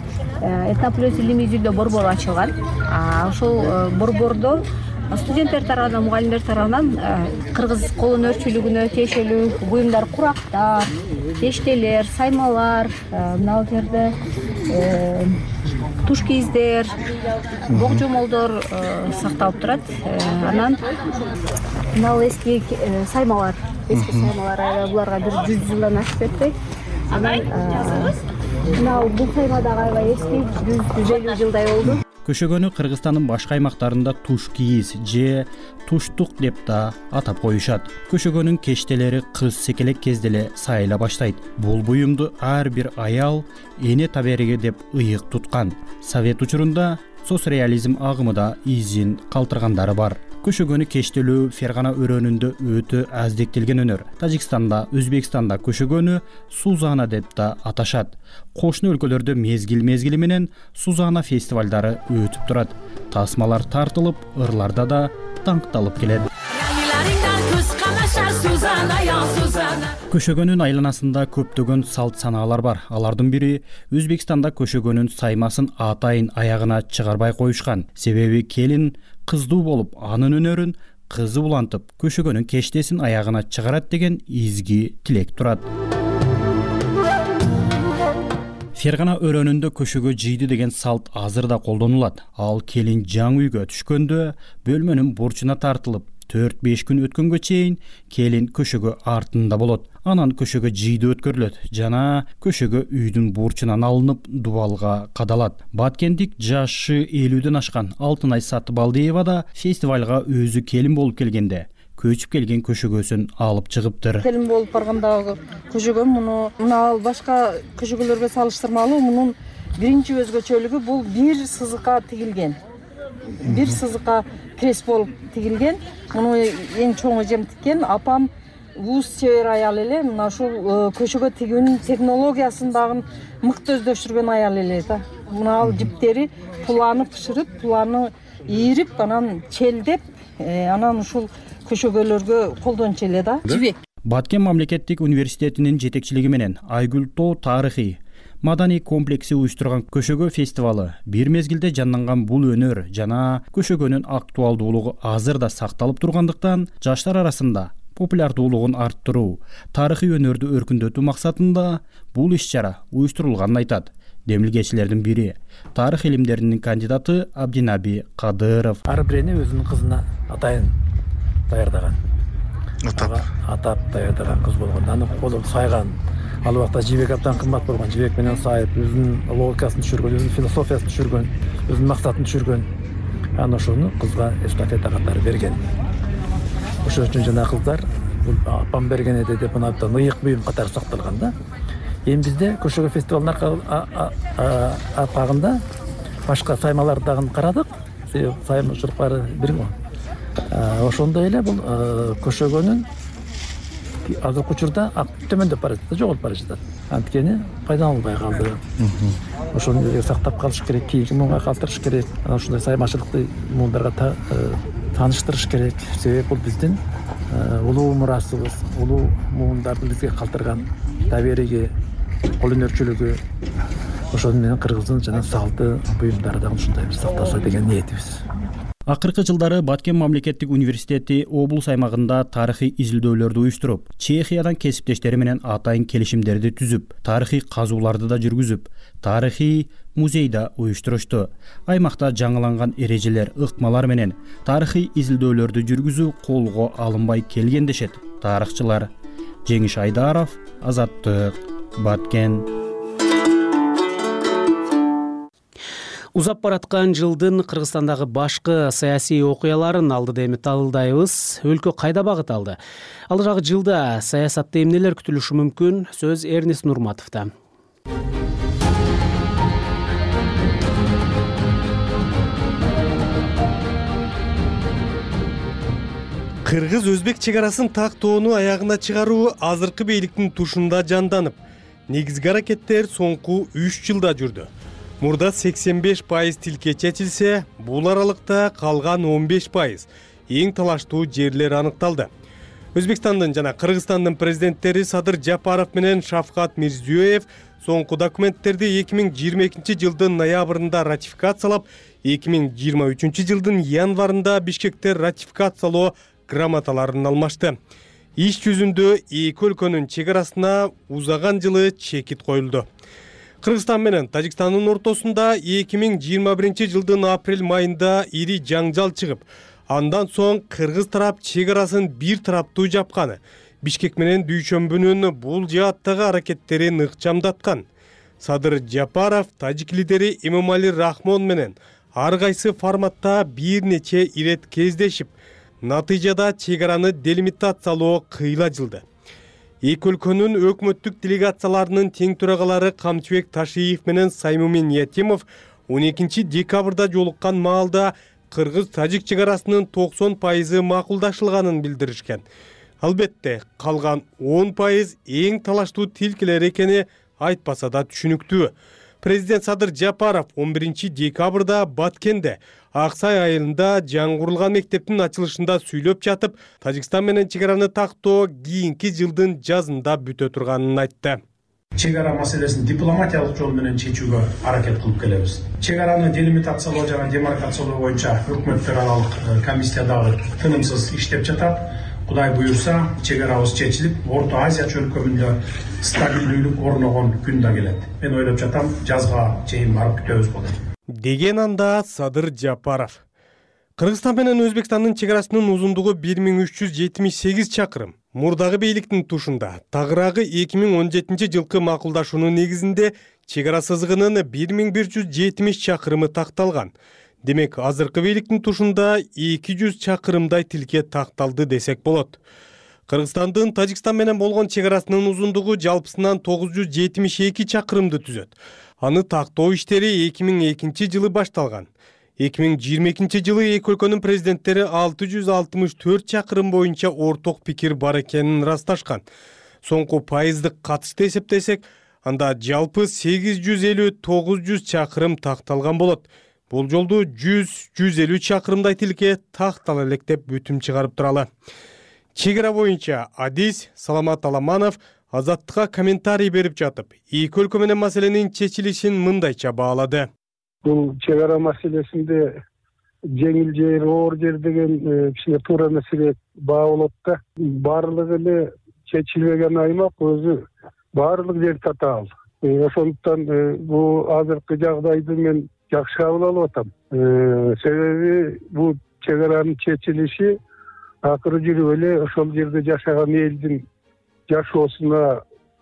Этноплюс илимий изилдөө борбору ачылган. Ошол борбордо студенттер тарабынан, мугалимдер тарабынан кыргыз кол өнөрчүлүгүнө тиешелүү буюмдар, курактар, эштелер, саймалар, мына жерде туш кийиздер, бок жомолдор сакталып турат. Анан мына эски саймалар, буларга бир 100 жылдан ашып кетти. Анан мына бул сайма дагы аябай эски, 150 жылдай болду. Көшөгөнү Кыргызстандын башка аймактарында туш кийиз же туштук деп да атап коюшат. Көшөгөнүн кештелери кыз секелек кезде эле сайыла баштайт. Бул буюмду ар бир аял эне табериги деп ыйык туткан. Совет учурунда соцреализм агымы да изин калтыргандары бар. Көшөгөнү кештелүү Фергана өрөөнүндө өтө аздектелген өнөр. Тажикстанда, Өзбекстанда көшөгөнү Сузана деп да аташат. Кошуна өлкөлөрдө мезгил менен Сузана фестивалдары өтүп турат. Тасмалар тартылып, ырларда да даңкталып келет. Көшөгөнүн айланасында көптөгөн салт санаалар бар. Алардын бири Өзбекстанда көшөгөнүн саймасын атайын аягына чыгарбай коюшкан. Себеби келин кыздуу болуп, анын өнөрүн кызы улантып көшөгөнүн кештесин аягына чыгарат деген изги тилек турат. Фергана өрөөнүндө көшөгө жийди деген салт азыр да колдонулат. Ал келин жаңы үйгө түшкөндө бөлмөнүн бурчуна тартылып 4-5 күн өткөнгө чейин келин көшөгө артында болот. Анан көшөгө жийди өткөрүлөт жана көшөгө үйдүн бурчунан алынып дубалга кадалат. Баткендик жашы 50ден ашкан Алтынай Сатыбалдиева да фестивалга өзү келин болуп келгенде көчүп келген көшөгөсүн алып чыгыптыр. Келин болуп баргандагы көшөгөм мына башка көшөгөлөргө салыштырмалуу мунун биринчи өзгөчөлүгү бул бир сызыкка тигилген. Бир сызыкка крес болуп тигилген. Муну эң чоң эжем тиккен. Апам улус чебер аял эле. Мына ушул көшөгө тигүүнүн технологиясын дагы мыкты өздөштүргөн аял эле да. Мына ал жиптери пуланы бышырып, пуланы ийирип, анан челдеп, анан ушул көшөгөлөргө колдончу эле да. Жибек. Баткен мамлекеттик университетинин жетекчилиги менен Айгүл Тоо тарыхый маданий комплекси уюштурган көшөгө фестивалы бир мезгилде жанданган бул өнөр жана көшөгөнүн актуалдуулугу азыр да сакталып тургандыктан жаштар арасында популярдуулугун арттыруу, тарыхый өнөрдү өркүндөтүү максатында бул иш-чара уюштурулганын айтат. Демилгечилердин бири тарых илимдеринин кандидаты Абдинаби Кадыров. Ар бирини өзүнүн кызына атайын даярдаган. Атап даярдаган кыз болгон. Аны колу сайган. Ал убакта жибек абдан кымбат болгон. Жибек менен сайып, өзүнүн логикасын түшүргөн, өзүнүн философиясын түшүргөн, өзүнүн максатын түшүргөн. Аны ошону кызга эстафета катары берген. Ошол үчүн жана кыздар бул апам берген эди деп мына абдан ыйык буюм катары сакталган да. Эми бизде көшөгө фестивалынын аркагында башка саймаларды дагы карадык. Саймачылыктары бир ошондой эле бул көшөгөнүн азыркы учурда төмөндөп бара жатат, жоголуп бара жатат. Анткени пайдаланылбай калды. Ошону сактап калыш керек, кийинки муунга калтырыш керек. Анан ушундай саймачылыкты муундарга тааныштырыш керек. Себеби бул биздин улуу мурасыбыз, улуу муундарды бизге калтырган табириги, кол өнөрчүлүгү. Ошону менен кыргыздын жана салты буюмдары да ушундай бир сакталса деген ниетибиз. Акыркы жылдары Баткен мамлекеттик университети облус аймагында тарыхый изилдөөлөрдү уюштуруп, Чехиядан кесиптештери менен атайын келишимдерди түзүп, тарыхый казууларды да жүргүзүп, тарыхый музей да уюштурушту. Аймакта жаңыланган эрежелер, ыкмалар менен тарыхый изилдөөлөрдү жүргүзүү колго алынбай келген дешет тарыхчылар. Жеңиш Айдаров, Азаттык, Баткен. Узап бараткан жылдын Кыргызстандагы башкы саясий окуяларын алдыда эми талдайбыз. Өлкө кайда багыт алды? Алырагы жылда саясатта эмнелер күтүлүшү мүмкүн? Сөз Эрнис Нурматовдо. Кыргыз-өзбек чек арасын тактоону аягына чыгаруу азыркы бийликтин тушунда жанданып, негизги аракеттер соңку 3 жылда жүрдү. Мурда 85% тилке чечилсе, бул аралыкта калган 15% эң талаштуу жерлер аныкталды. Өзбекстандын жана Кыргызстандын президенттери Садыр Жапаров менен Шавкат Мирзиёев соңку документтерди 2022 жылдын ноябрында ратификациялап, 2023 жылдын январында Бишкекте ратификациялоо грамоталарын алмашты. Иш жүзүндө эки өлкөнүн чек арасына узаган жылы чекит коюлду. Кыргызстан менен Тажикстандын ортосунда 2021 жылдын апрель майында ири жаңжал чыгып, андан соң кыргыз тарап чек арасын бир тараптуу жапканы, Бишкек менен Дүйшөмбүнүн бул жааттагы аракеттерин ыкчамдаткан. Садыр Жапаров тажик лидери Эмомали Рахмон менен ар кайсы форматта бир нече ирет кездешип, натыйжада чек араны делимитациялоо кыйла жылды. Эки өлкөнүн өкмөттүк делегацияларынын тең төрагалары Камчыбек Ташиев менен Саймумин Ятимов 12 декабрда жолуккан маалда кыргыз-тажик чек арасынын 90% макулдашылганын билдиришкен. Албетте, калган 10% эң талаштуу тилкелер экени айтпаса да түшүнүктүү. Президент Садыр Жапаров 11 декабрда Баткенде Аксай айылында жаңгырылган мектептин ачылышында сүйлөп жатып, Тажикстан менен чек араны тактоо кийинки жылдын жазында бүтө турганын айтты. чек ара маселесин дипломатиялык жол менен чечүүгө аракет кылып келебиз. Чек араны делимитациялоо жана демаркациялоо боюнча өкмөттөр аралык комиссия дагы тынымсыз иштеп жатат. Кудай буюрса, чек арабыз чечилип, Орто Азия чөлкөмүндө стабилдүүлүк орногон күн да келет. Мен ойлоп жатам, жазга чейин барып күтөбүз болот. Деген анда Садыр Жапаров. Кыргызстан менен Өзбекстандын чек арасынын узундугу 1378 чакырым. Мурдагы бийликтин тушунда тагыраагы 2017 жылкы макулдашуунун негизинде чек ара сызыгынын 1170 чакырымы такталган. Демек, азыркы бийликтин тушунда 200 чакырымдай тилке такталды десек болот. Кыргызстандын Тажикстан менен болгон чек арасынын узундугу жалпысынан 972 чакырымды түзөт. Аны тактоо иштери 2002 жылы башталган. 2022 жылы эки өлкөнүн президенттери 664 чакырым боюнча орток пикир бар экенин ырасташкан. Соңку пайыздык катышты эсептесек, анда жалпы 850-900 чакырым такталган болот. Бул жолду 100-150 чакырымдай тилке тактала элек деп бүтүм чыгарып туралы. Чек ара боюнча Адис Саламат Аламанов Азаттыкка комментарий берип жатып, эки өлкө менен маселенин чечилишин мындайча баалады. Бул чек ара маселесинде жеңил жер, оор жер деген кичине туура маселе баа болот да. Баардыгы эле чечилбеген аймак өзү баардык жер татаал. Ошондуктан бул азыркы жагдайды мен жакшы кабыл алып атам. Себеби бул чек аранын чечилиши акыры жүрүп эле ошол жерде жашаган элдин жашоосуна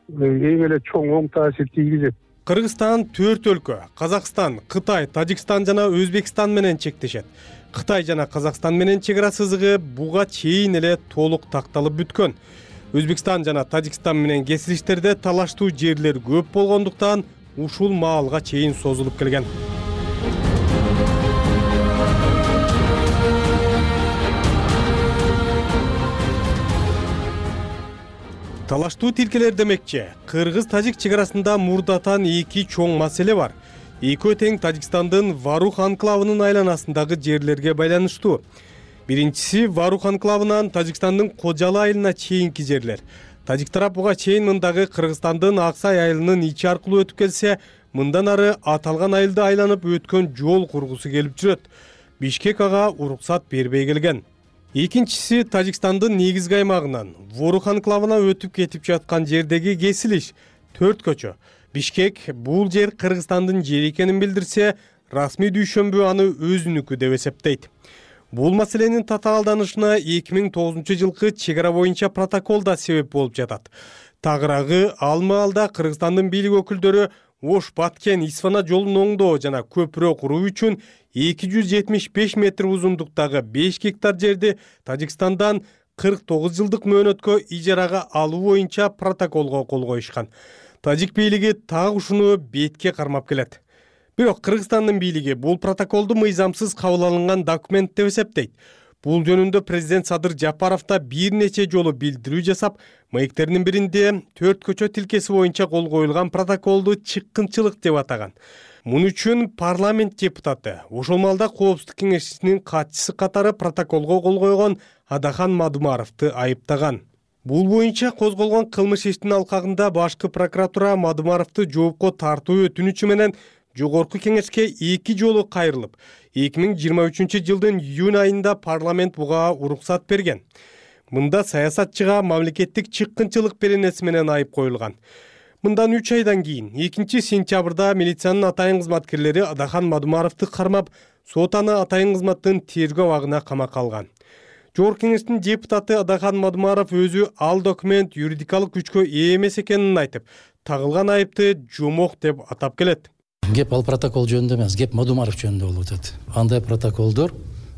эң эле чоң оң таасир тийгизет. Кыргызстан 4 өлкө — Казакстан, Кытай, Тажикстан жана Өзбекстан менен чектешет. Кытай жана Казакстан менен чек ара сызыгы буга чейин эле толук такталып бүткөн. Өзбекстан жана Тажикстан менен кесилиштерде талаштуу жерлер көп болгондуктан ушул маалга чейин созулуп келген. Талаштуу тилкелер демекчи, Кыргыз-Тажик чек арасында мурдатан эки чоң маселе бар. Экөө тең Тажикстандын Варух анклавынын айланасындагы жерлерге байланыштуу. Биринчиси Варух анклавынан Тажикстандын Кожалы айылына чейинки жерлер. Тажик тарап буга чейин мындагы Кыргызстандын Аксай айылынын ичи аркылуу өтүп келсе, мындан ары аталган айылды айланып өткөн жол кургусу келип жүрөт. Бишкек ага уруксат бербей келген. Экинчиси Тажикстандын негизги аймагынан Ворух анклавына өтүп кетип жаткан жердеги кесилиш 4 көчө. Бишкек бул жер Кыргызстандын жери экенин билдирсе, расмий дүйшөмбү аны өзүнүкү деп эсептейт. Бул маселенин татаалданышына 2009 жылкы чек ара боюнча протокол да себеп болуп жатат. Тагыраагы ал маалда Кыргызстандын бийлик өкүлдөрү Ош Баткен Исфана жолун оңдоо жана көпүрө куруу үчүн 275 метр узундуктагы 5 гектар жерди Тажикстандан 49 жылдык мөөнөткө ижарага алуу боюнча протоколго кол коюшкан. Тажик бийлиги так ушуну бетке кармап келет. Бирок Кыргызстандын бийлиги бул протоколду мыйзамсыз кабыл алынган документ деп эсептейт. Бул жөнүндө президент Садыр Жапаров да бир нече жолу билдирүү жасап, маектеринин биринде 4 көчө тилкеси боюнча кол коюлган протоколду чыккынчылык деп атаган. Муну үчүн парламент депутаты, ошол маалда Коопсуздук кеңешчисинин катчысы катары протоколго кол койгон Адахан Мадумаровду айыптаган. Бул боюнча козголгон кылмыш иштин алкагында башкы прокуратура Мадумаровду жоопко тартуу өтүнүчү менен Жогорку кеңешке 2 жолу кайрылып, 2023 жылдын июнь айында парламент буга уруксат берген. Мында саясатчыга мамлекеттик чыккынчылык беренеси менен айып коюлган. Мындан 3 айдан кийин 2-сентябрда милициянын атайын кызматкерлери Адахан Мадумаровду кармап, сот аны атайын кызматтын тергөө абагына камакка алган. Жогорку кеңештин депутаты Адахан Мадумаров өзү ал документ юридикалык күчкө ээ эмес экенин айтып, тагылган айыпты жомок деп атап келет. Геп ал протокол жөнүндө эмес, геп Мадумаров жөнүндө болуп атат. Андай протоколдор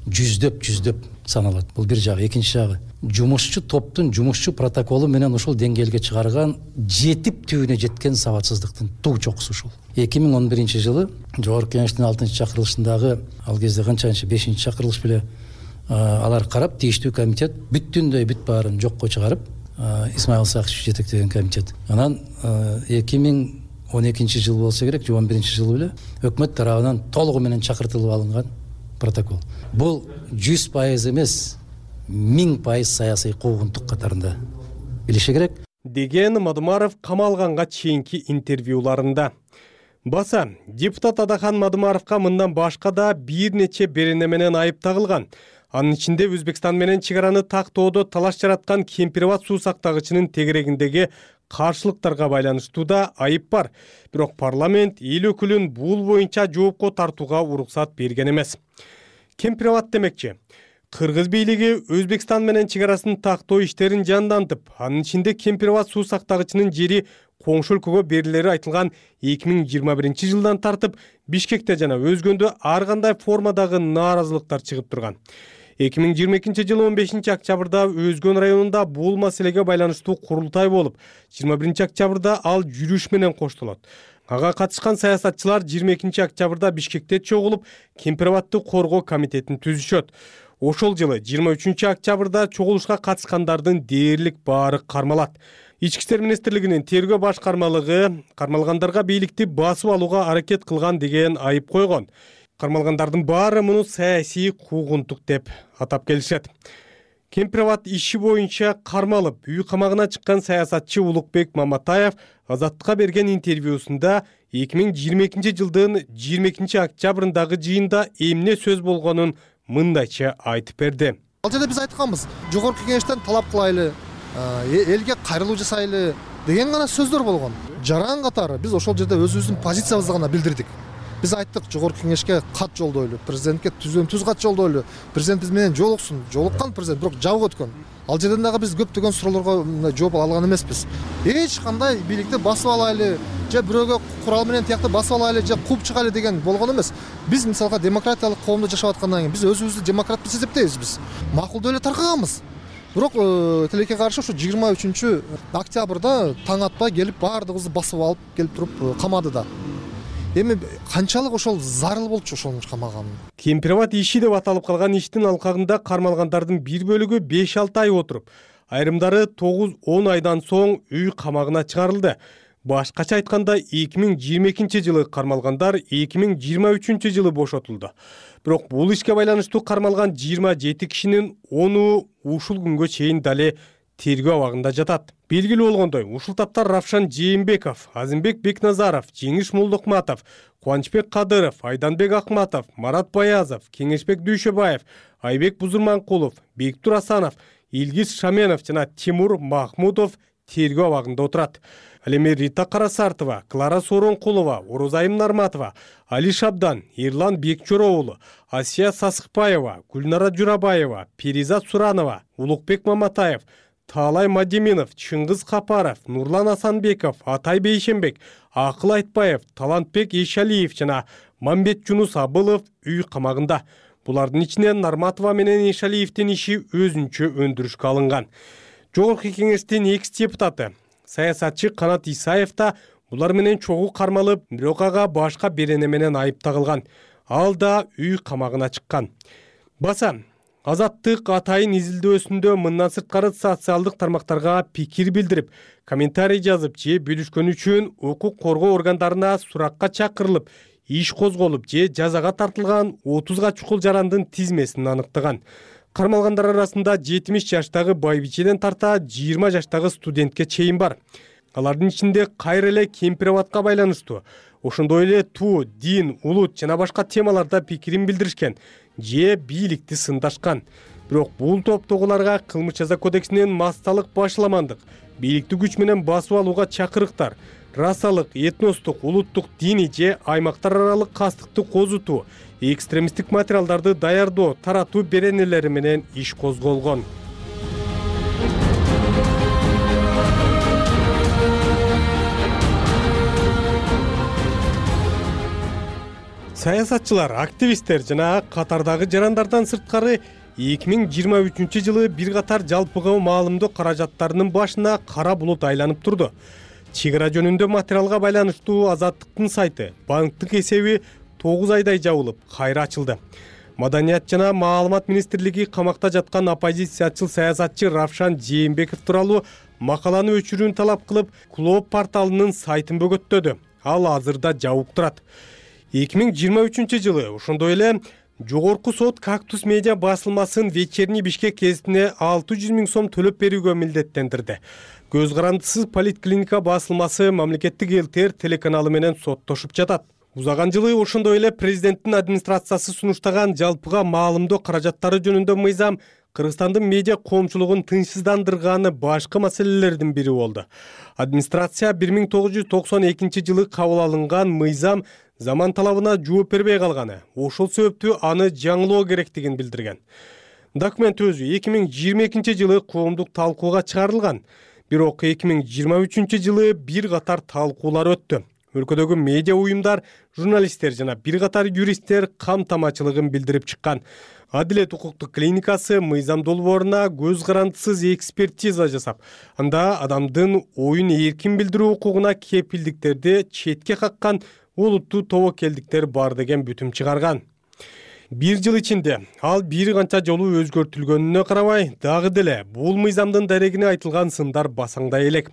жүздөп саналат. Бул бир жагы. Экинчи жагы, жумушчу топтун жумушчу протоколу менен ушул деңгээлге чыгарган жетип түбүнө жеткен сабатсыздыктын туг чокусу ушул. 2011 жылы Жогорку кеңештин 6-чакырылышындагы ал кезде канчанчы 5-чакырылыш беле алар карап, тийиштүү комитет бүттүндөй бүт баарын жокко чыгарып, Исмаил Сакчев жетектеген комитет. Анан 2012 жыл болсо керек, 2011 жылы беле өкмөт тарабынан толугу менен чакыртылып алынган протокол. Бул 100% эмес, 1000% саясий куугунтук катарында билиши керек. деген Мадумаров камалганга чейинки интервьюларында. Баса, депутат Адахан Мадумаровка мындан башка да бир нече берене менен айып тагылган. Анын ичинде Өзбекстан менен чек араны тактоодо талаш жараткан Кемпирабад суу сактагычынын тегерегиндеги каршылыктарга байланыштуу да айып бар. Бирок парламент эл өкүлүн бул боюнча жоопко тартууга уруксат берген эмес. Кемпирабад демекчи, Кыргыз бийлиги Өзбекстан менен чек арасын тактоо иштерин жандантып, анын ичинде Кемпирабад суу сактагычынын жери коңшу өлкөгө берилери айтылган 2021-жылдан тартып Бишкекте жана өзгөндө ар кандай формадагы нааразылыктар чыгып турган. 2022-жылы 15-октябрда Өзгөн районунда бул маселеге байланыштуу курултай болуп, 21-октябрда ал жүрүш менен коштолот. Ага катышкан саясатчылар 22-октябрда Бишкекте чогулуп, Кемпирабадды коргоо комитетин түзүшөт. Ошол жылы 23-октябрда чогулушка катышкандардын дээрлик баары кармалат. Ички иштер министрлигинин тергөө башкармалыгы кармалгандарга бийликти басып алууга аракет кылган деген айып койгон. Кармалгандардын баары муну саясий куугунтук деп атап келишет. Кемпирабад иши боюнча кармалып, үй камагына чыккан саясатчы Улукбек Маматаев Азаттыкка берген интервьюсунда 2022-жылдын 22-октябрындагы жыйында эмне сөз болгонун мындайча айтып берди. Ал жерде биз айтканбыз, жогорку кеңештен талап кылайлы, элге кайрылуу жасайлы деген гана сөздөр болгон. Жаран катары биз ошол жерде өзүбүздүн позициябызды гана билдирдик. Биз айттык, жогорку кеңешке кат жолдойлу, президентке түз кат жолдойлу, президент биз менен жолуксун. Жолуккан президент, бирок жабык өткөн. Ал жерден дагы биз көптөгөн суроолорго жооп ала алган эмеспиз. Эч кандай бийликти басып алайлы, же бирөөгө курал менен тиякты басып алайлы, же кууп чыгайлы деген болгон эмес. Биз мисалга демократиялык коомдо жашап аткандан кийин биз өзүбүздү демократ деп эсептейбиз биз. Макулдуу эле таркаганбыз. Бирок тилекке каршы ушу 23-октябрда таң атпай келип баардыгыбызды басып алып келип туруп камады да. Эми канчалык ошол зарыл болчу ошону камаган. Кемпирабад иши деп аталып калган иштин алкагында кармалгандардын бир бөлүгү 5-6 ай отуруп, айрымдары 9-10 айдан соң үй камагына чыгарылды. Башкача айтканда 2022-жылы кармалгандар 2023-жылы бошотулду. Бирок бул ишке байланыштуу кармалган 27 кишинин 10-у ушул күнгө чейин дале тергөө абагында жатат. Белгилүү болгондой, ушул тапта Равшан Жээнбеков, Азимбек Бекназаров, Жеңиш Молдокматов, Кубанычбек Кадыров, Айданбек Акматов, Марат Баязов, Кеңешбек Дүйшөбаев, Айбек Бузурманкулов, Бектур Асанов, Илгиз Шаменов жана Тимур Махмудов тергөө абагында отурат. Ал эми Рита Карасартова, Клара Соронкулова, Орозайым Нарматова, Али Шабдан, Эрлан Бекчороолу, Асия Сасыкбаева, Гүлнара Журабаева, Перизат Суранова, Улукбек Маматаев, Таалай Мадиминов, Чыңгыз Капаров, Нурлан Асанбеков, Атай Бейшенбек, Акыл Айтбаев, Талантбек Эшалиев жана Мамбет Жунус Абылов үй камагында. Булардын ичинен Нарматова менен Эшалиевдин иши өзүнчө өндүрүшкө алынган. Жогорку кеңештин экс-депутаты саясатчы Канат Исаев да булар менен чогуу кармалып, бирок ага башка берене менен айып тагылган. Ал да үй камагына чыккан. Баса, Азаттык атайын изилдөөсүндө мындан сырткары социалдык тармактарга пикир билдирип, комментарий жазып же бөлүшкөн үчүн укук коргоо органдарына суракка чакырылып, иш козголуп же жазага тартылган 30га чукул жарандын тизмесин аныктаган. Кармалгандар арасында 70 жаштагы байбичеден тарта 20 жаштагы студентке чейин бар. Алардын ичинде кайра эле Кемпирабадка байланыштуу, ошондой эле туу, дин, улут жана башка темаларда пикирин билдиришкен же бийликти сындашкан. Бирок бул топтогуларга кылмыш жаза кодексинин масталык башламандык, бийликти күч менен басып алууга чакырыктар, расалык, этностук, улуттук, диний же аймактар аралык кастыкты козутуу, экстремисттик материалдарды даярдоо, таратуу беренелери менен иш козголгон. Саясатчылар, активисттер жана катардагы жарандардан сырткары 2023-жылы бир катар жалпыга маалымдоо каражаттарынын башына кара булут айланып турду. Чек ара жөнүндө материалга байланыштуу Азаттыктын сайты, банктык эсеби 9 айдай жабылып, кайра ачылды. Маданият жана маалымат министрлиги камакта жаткан оппозициячыл саясатчы Равшан Жээнбеков тууралуу макаланы өчүрүүнү талап кылып, Клоп порталынын сайтын бөгөттөдү. Ал азырда жабык турат. 2023-жылы ошондой эле Жогорку сот Кактус медиа басылмасын Вечерний Бишкек гезитине 600 000 сом төлөп берүүгө милдеттендирди. Көз карандысыз Политклиника басылмасы мамлекеттик эл-тер телеканалы менен соттошуп жатат. Узаган жылы ошондой эле президенттин администрациясы сунуштаган жалпыга маалымдоо каражаттары жөнүндө мыйзам Кыргызстандын медиа коомчулугун тынчсыздандырганы башкы маселелердин бири болду. Администрация 1992 жылы кабыл алынган мыйзам заман талабына жооп бербей калганы, ошол себептүү аны жаңылоо керектигин билдирген. Документ өзү 2022 жылы коомдук талкууга чыгарылган, бирок 2023 жылы бир катар талкуулар өттү. Өлкөдөгү медиа уюмдар, журналисттер жана бир катар юристтер камтамачылыгын билдирип чыккан. Адилет укуктук клиникасы мыйзам долбооруна көз карандысыз экспертиза жасап, анда адамдын оюн эркин билдирүү укугуна кепилдиктерди четке каккан олуттуу тобокелдиктер бар деген бүтүм чыгарган. Бир жыл ичинде ал бир канча жолу өзгөртүлгөнүнө карабай, дагы деле бул мыйзамдын дарегине айтылган сындар басаңдай элек.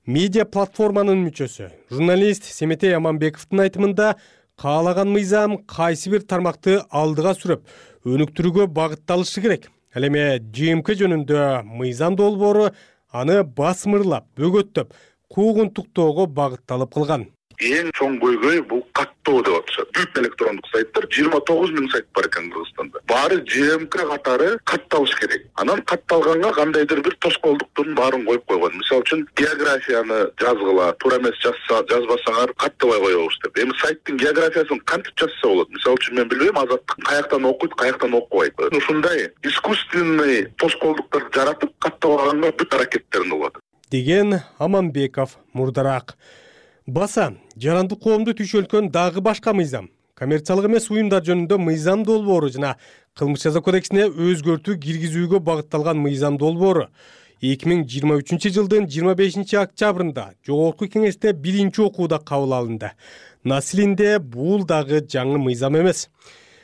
Медиа платформанын мүчөсү, журналист Семетей Аманбековдун айтымында, каалаган мыйзам кайсы бир тармакты алдыга сүрөп, өнүктүрүүгө багытталышы керек. Ал эми ЖМК жөнүндө мыйзам долбоору аны басмырлап, бөгөттөп, куугунтуктоого багытталып калган. Эң чоң көйгөй бул каттоо деп атышат. Бүт электрондук сайттар 29 000 сайт бар экен Кыргызстанда. Баары ЖМК катары катталыш керек. Анан катталганга кандайдыр бир тоскоолдуктун баарын коюп койгон. Мисалы үчүн географияны жазгыла, туура эмес жазбасаңар каттабай коебуз деп. Эми сайттын географиясын кантип жазса болот? Мисалы үчүн мен билбейм, Азаттык каяктан окуйт, каяктан окубайт. Ушундай искусственный тоскоолдуктарды жаратып каттабаганга бүт аракеттерин кылат. Деген Аманбеков мурдараак. Баса, жарандык коомду түйшөлткөн дагы башка мыйзам. Коммерциялык эмес уюмдар жөнүндө мыйзам долбоору жана кылмыш жаза кодексине өзгөртүү киргизүүгө багытталган мыйзам долбоору 2023 жылдын 25 октябрында Жогорку кеңеште биринчи окууда кабыл алынды. Насилинде бул дагы жаңы мыйзам эмес.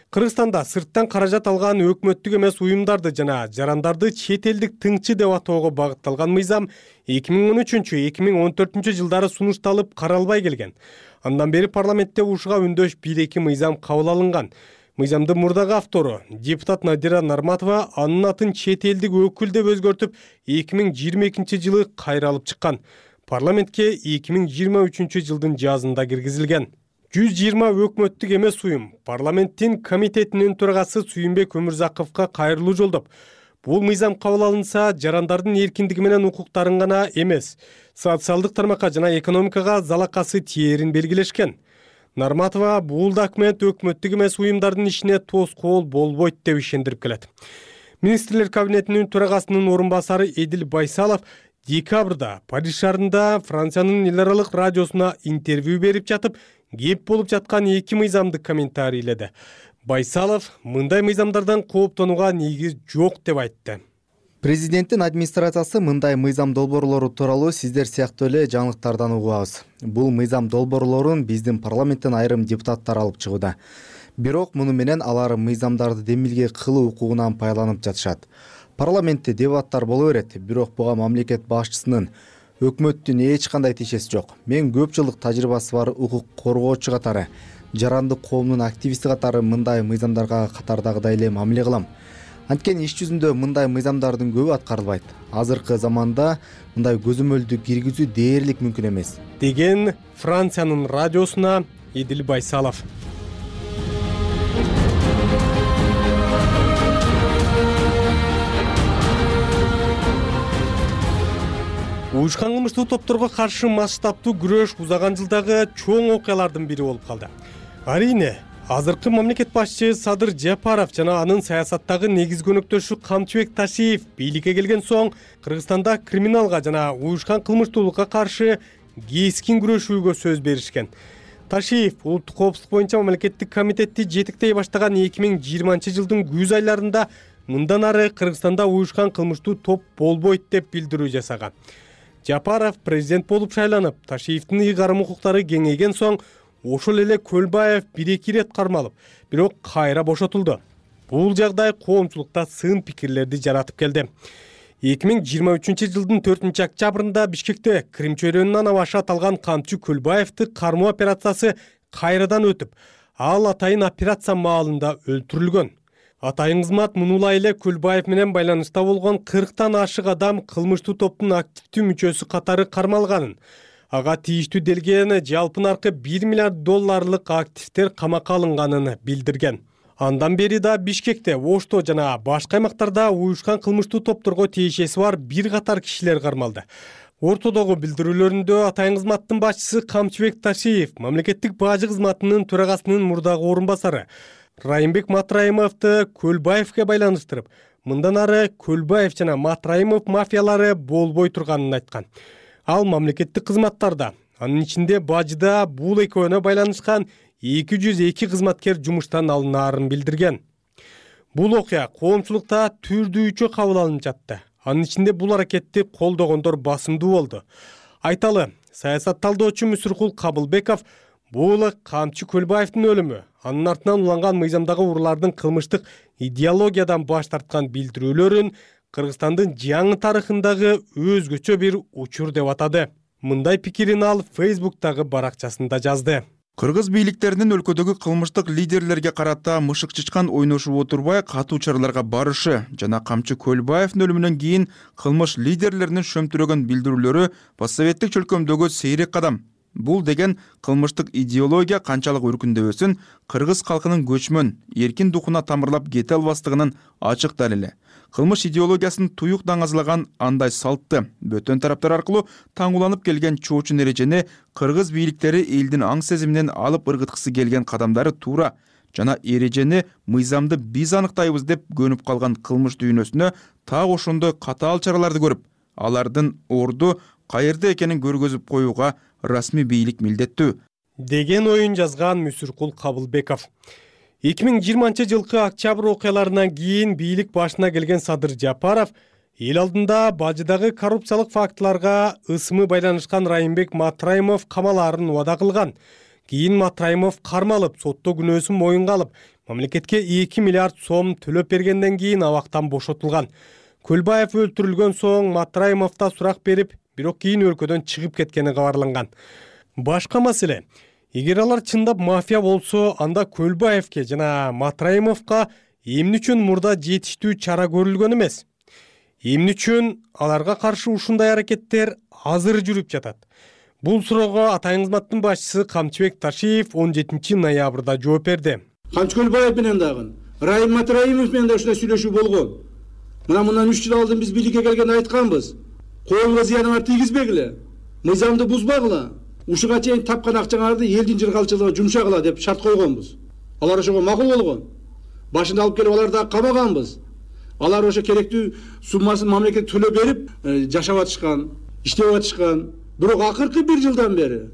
Кыргызстанда сырттан каражат алган өкмөттүк эмес уюмдарды жана жарандарды чет элдик тыңчы деп атоого багытталган мыйзам 2013-2014 жылдары сунушталып каралбай келген. Андан бери парламентте ушуга үндөш 1-2 мыйзам кабыл алынган. Мыйзамдын мурдагы автору депутат Надира Нарматова анын атын чет элдик өкүл деп өзгөртүп 2022 жылы кайра алып чыккан. Парламентке 2023 жылдын жазында киргизилген. 120 өкмөттүк эмес уюм парламенттин комитетинин төрагасы Сүйүнбек Өмүрзаковго кайрылуу жолдоп, бул мыйзам кабыл алынса, жарандардын эркиндиги менен укуктарын гана эмес, социалдык тармакка жана экономикага залакасы тиерин белгилешкен. Нарматова бул документ өкмөттүк эмес уюмдардын ишине тоскоол болбойт деп ишендирип келет. Министрлер кабинетинин төрагасынын орун басары Эдил Байсалов декабрда Париж шаарында Франциянын эл аралык радиосуна интервью берип жатып, кеп болуп жаткан 2 мыйзамды комментарийледи. Байсалов мындай мыйзамдардан кооптонууга негиз жок деп айтты. Президенттин администрациясы мындай мыйзам долбоорлору тууралуу сиздер сыяктуу эле жаңылыктардан угабыз. Бул мыйзам долбоорлорун биздин парламенттен айрым депутаттар алып чыгууда. Бирок муну менен алар мыйзамдарды демилге кылуу укугунан пайдаланып жатышат. Парламентте дебаттар боло берет, бирок буга мамлекет башчысынын өкмөттүн эч кандай тиешеси жок. Мен көп жылдык тажрыйбасы бар укук коргоочу катары, жарандык коомдун активисти катары мындай мыйзамдарга катардагыдай эле мамиле кылам. Анткени иш жүзүндө мындай мыйзамдардын көбү аткарылбайт. Азыркы заманда мындай көзөмөлдү киргизүү дээрлик мүмкүн эмес. Деген Франциянын радиосуна Эдил Байсалов. Уюшкан кылмыштуу топторго каршы масштабтуу күрөш узаган жылдагы чоң окуялардын бири болуп калды. Арийне, азыркы мамлекет башчы Садыр Жапаров жана анын саясаттагы негизги өнөктөшү Камчыбек Ташиев бийликке келген соң Кыргызстанда криминалга жана уюшкан кылмыштуулукка каршы кескин күрөшүүгө сөз беришкен. Ташиев улуттук коопсуздук боюнча мамлекеттик комитетти жетектей баштаган 2020 жылдын күз айларында мындан ары Кыргызстанда уюшкан кылмыштуу топ болбойт деп билдирүү жасаган. Жапаров президент болуп шайланып, Ташиевдин ыйгарым укуктары кеңейген соң ошол эле Көлбаев 1-2 рет кармалып, бирок кайра бошотулду. Бул жагдай коомчулукта сын пикирлерди жаратып келди. 2023 жылдын 4 октябрында Бишкекте Крим чөйрөнүн ана башы аталган камчы Көлбаевди кармоо операциясы кайрадан өтүп, ал атайын операция маалында өлтүрүлгөн. Атайын кызмат мунулай эле Көлбаев менен байланышта болгон 40тан ашык адам кылмыштуу топтун активдүү мүчөсү катары кармалганын, ага тийиштүү делген жалпы наркы $1 миллиард активдер камакка алынганын билдирген. Андан бери да Бишкекте, Ошто жана башка аймактарда уюшкан кылмыштуу топторго тиешеси бар бир катар кишилер кармалды. Ортодогу билдирүүлөрүндө атайын кызматтын башчысы Камчыбек Ташиев, мамлекеттик бажы кызматынын төрагасынын мурдагы орун басары Райымбек Матраимовду Көлбаевге байланыштырып, мындан ары Көлбаев жана Матраимов мафиялары болбой турганын айткан. Ал мамлекеттик кызматтарда, анын ичинде бажыда бул экөөнө байланышкан 202 кызматкер жумуштан алынаарын билдирген. Бул окуя коомчулукта түрдүүчө кабыл алынып жатты. Анын ичинде бул аракетти колдогондор басымдуу болду. Айталы, саясат талдоочу Мүсүркул Кабылбеков бул Камчы Көлбаевдин өлүмү, анын артынан уланган мыйзамдагы уруулардын кылмыштык идеологиядан баш тарткан билдирүүлөрүн Кыргызстандын жаңы тарыхындагы өзгөчө бир учур деп атады. Мындай пикирин ал Facebook'тагы баракчасында жазды. Кыргыз бийликтеринин өлкөдөгү кылмыштык лидерлерге карата мышык чычкан ойношуп отурбай катуу чараларга барышы жана Камчы Көлбаевдин өлүмүнөн кийин кылмыш лидерлеринин шөмтүрөгөн билдирүүлөрү постсоветтик чөлкөмдөгү сейрек кадам. Бул деген кылмыштык идеология канчалык өркүндөбөсүн кыргыз калкынын көчмөн, эркин духуна тамырлап кете албастыгынын ачык далили. Кылмыш идеологиясын туюк даңазалаган андай салтты бөтөн тараптар аркылуу таңуланып келген чоочун эрежени кыргыз бийликтери элдин аң сезиминен алып ыргыткысы келген кадамдары туура жана эрежени мыйзамды биз аныктайбыз деп көнүп калган кылмыш дүйнөсүнө так ошондой катаал чараларды көрүп, алардын орду каерде экенин көргөзүп коюуга расмий бийлик милдеттүү деген оюн жазган Мүсүркул Кабылбеков. 2020 жылкы октябрь окуяларынан кийин бийлик башына келген Садыр Жапаров эл алдында бажыдагы коррупциялык фактыларга ысымы байланышкан Райымбек Матраимов камалаарын убада кылган. Кийин Матраимов кармалып, сотто күнөөсүн моюнга алып, мамлекетке 2 миллиард сом төлөп бергенден кийин абактан бошотулган. Көлбаев өлтүрүлгөн соң Матраимовдо сурак берип, бирок кийин өлкөдөн чыгып кеткени кабарланган. Башка маселе, эгер алар чындап мафия болсо, анда Көлбаевке жана Матраимовго эмне үчүн мурда жетиштүү чара көрүлгөн эмес? Эмне үчүн аларга каршы ушундай аракеттер азыр жүрүп жатат? Бул суроого атайын кызматтын башчысы Камчыбек Ташиев 17 ноябрда жооп берди. Камчы Көлбаев менен дагы, Райым Матраимов менен да ушундай сүйлөшүү болгон. Мындан 3 жыл алдын биз бийликке келгенде айтканбыз. Коомго зыяны бар тийгизбегиле, мыйзамды бузбагыла, ушуга чейин тапкан акчаңарды элдин жыргалчылыгына жумшагыла деп шарт койгонбуз. Алар ошого макул болгон. Башында алып келип аларды камаганбыз. Алар ошо керектүү суммасын мамлекет төлөп берип, жашап атышкан, иштеп атышкан. Бирок акыркы 1 жылдан бери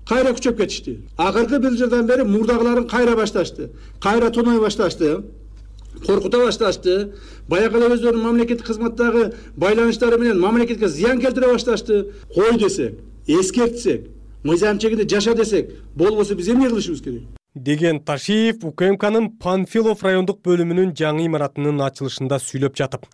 кайра күчөп кетишти. Акыркы 1 жылдан бери мурдагыларын кайра башташты. Кайра тоной башташты. Коркута башташты. Баягы эле өздөрүнүн мамлекеттик кызматтагы байланыштары менен мамлекетке зыян келтире башташты. Кой десек, эскертсек, мыйзам чегинде жаша десек, болбосо биз эмне кылышыбыз керек? Деген Ташиев УКМКнын Панфилов райондук бөлүмүнүн жаңы имаратынын ачылышында сүйлөп жатып.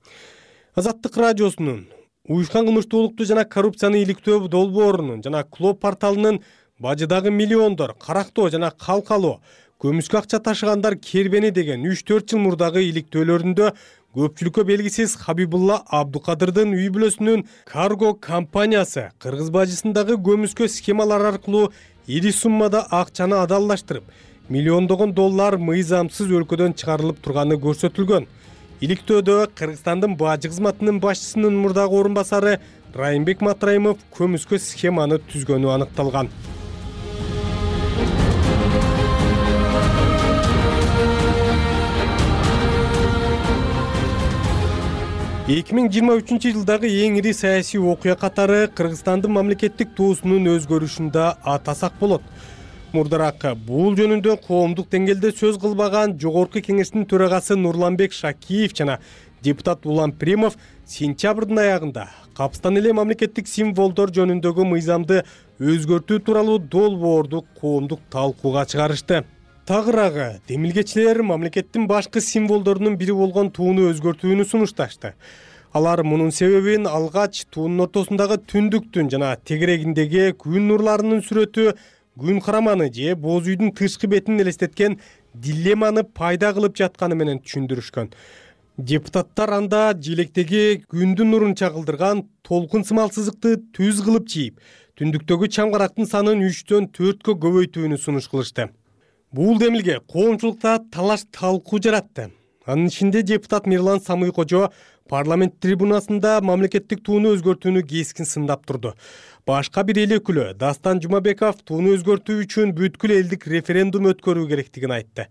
Азаттык радиосунун уюшкан кылмыштуулукту жана коррупцияны иликтөө долбоорунун жана Клоп порталынын бажыдагы миллиондор, карактоо жана калкалоо, көмүскө акча ташыгандар кербени деген 3-4 жыл мурдагы иликтөөлөрүндө көпчүлүккө белгисиз Хабибулла Абдукадырдын үй бүлөсүнүн карго компаниясы кыргыз бажысындагы көмүскө схемалар аркылуу ири суммада акчаны адалдаштырып, миллиондогон доллар мыйзамсыз өлкөдөн чыгарылып турганы көрсөтүлгөн. Иликтөөдө Кыргызстандын бажы кызматынын башчысынын мурдагы орун басары Райымбек Матраимов көмүскө схеманы түзгөнү аныкталган. Эки миң жыйырма үчүнчү жылдагы эң ири саясий окуя катары Кыргызстандын мамлекеттик туусунун өзгөрүшүндө атасак болот. Мурдараак бул жөнүндө коомдук деңгээлде сөз кылбаган Жогорку Кеңештин төрагасы Нурланбек Шакиев жана депутат Улан Примов сентябрдын аягында капыстан эле мамлекеттик символдор жөнүндөгү мыйзамды өзгөртүү тууралуу долбоорду коомдук талкууга чыгарышты. Тагыраагы демилгечилер мамлекеттин башкы символдорунун бири болгон тууну өзгөртүүнү сунушташты. Алар мунун себебин алгач туунун ортосундагы түндүктүн жана тегерегиндеги күн нурларынын сүрөтү күн караманы же боз үйдүн тышкы бетин элестеткен дилемманы пайда кылып жатканы менен түшүндүрүшкөн. Депутаттар анда желектеги күндүн нурун чагылдырган толкун сымал сызыкты түз кылып чийип, түндүктөгү чамгарактын санын 3-төн 4кө көбөйтүүнү сунуш кылышты. Бул демилге коомчулукта талаш талкуу жаратты. Анын ичинде депутат Мирлан Самый-Кожо парламент трибунасында мамлекеттик тууну өзгөртүүнү кескин сындап турду. Башка бир эл өкүлү Дастан Жумабеков тууну өзгөртүү үчүн бүткүл элдик референдум өткөрүү керектигин айтты.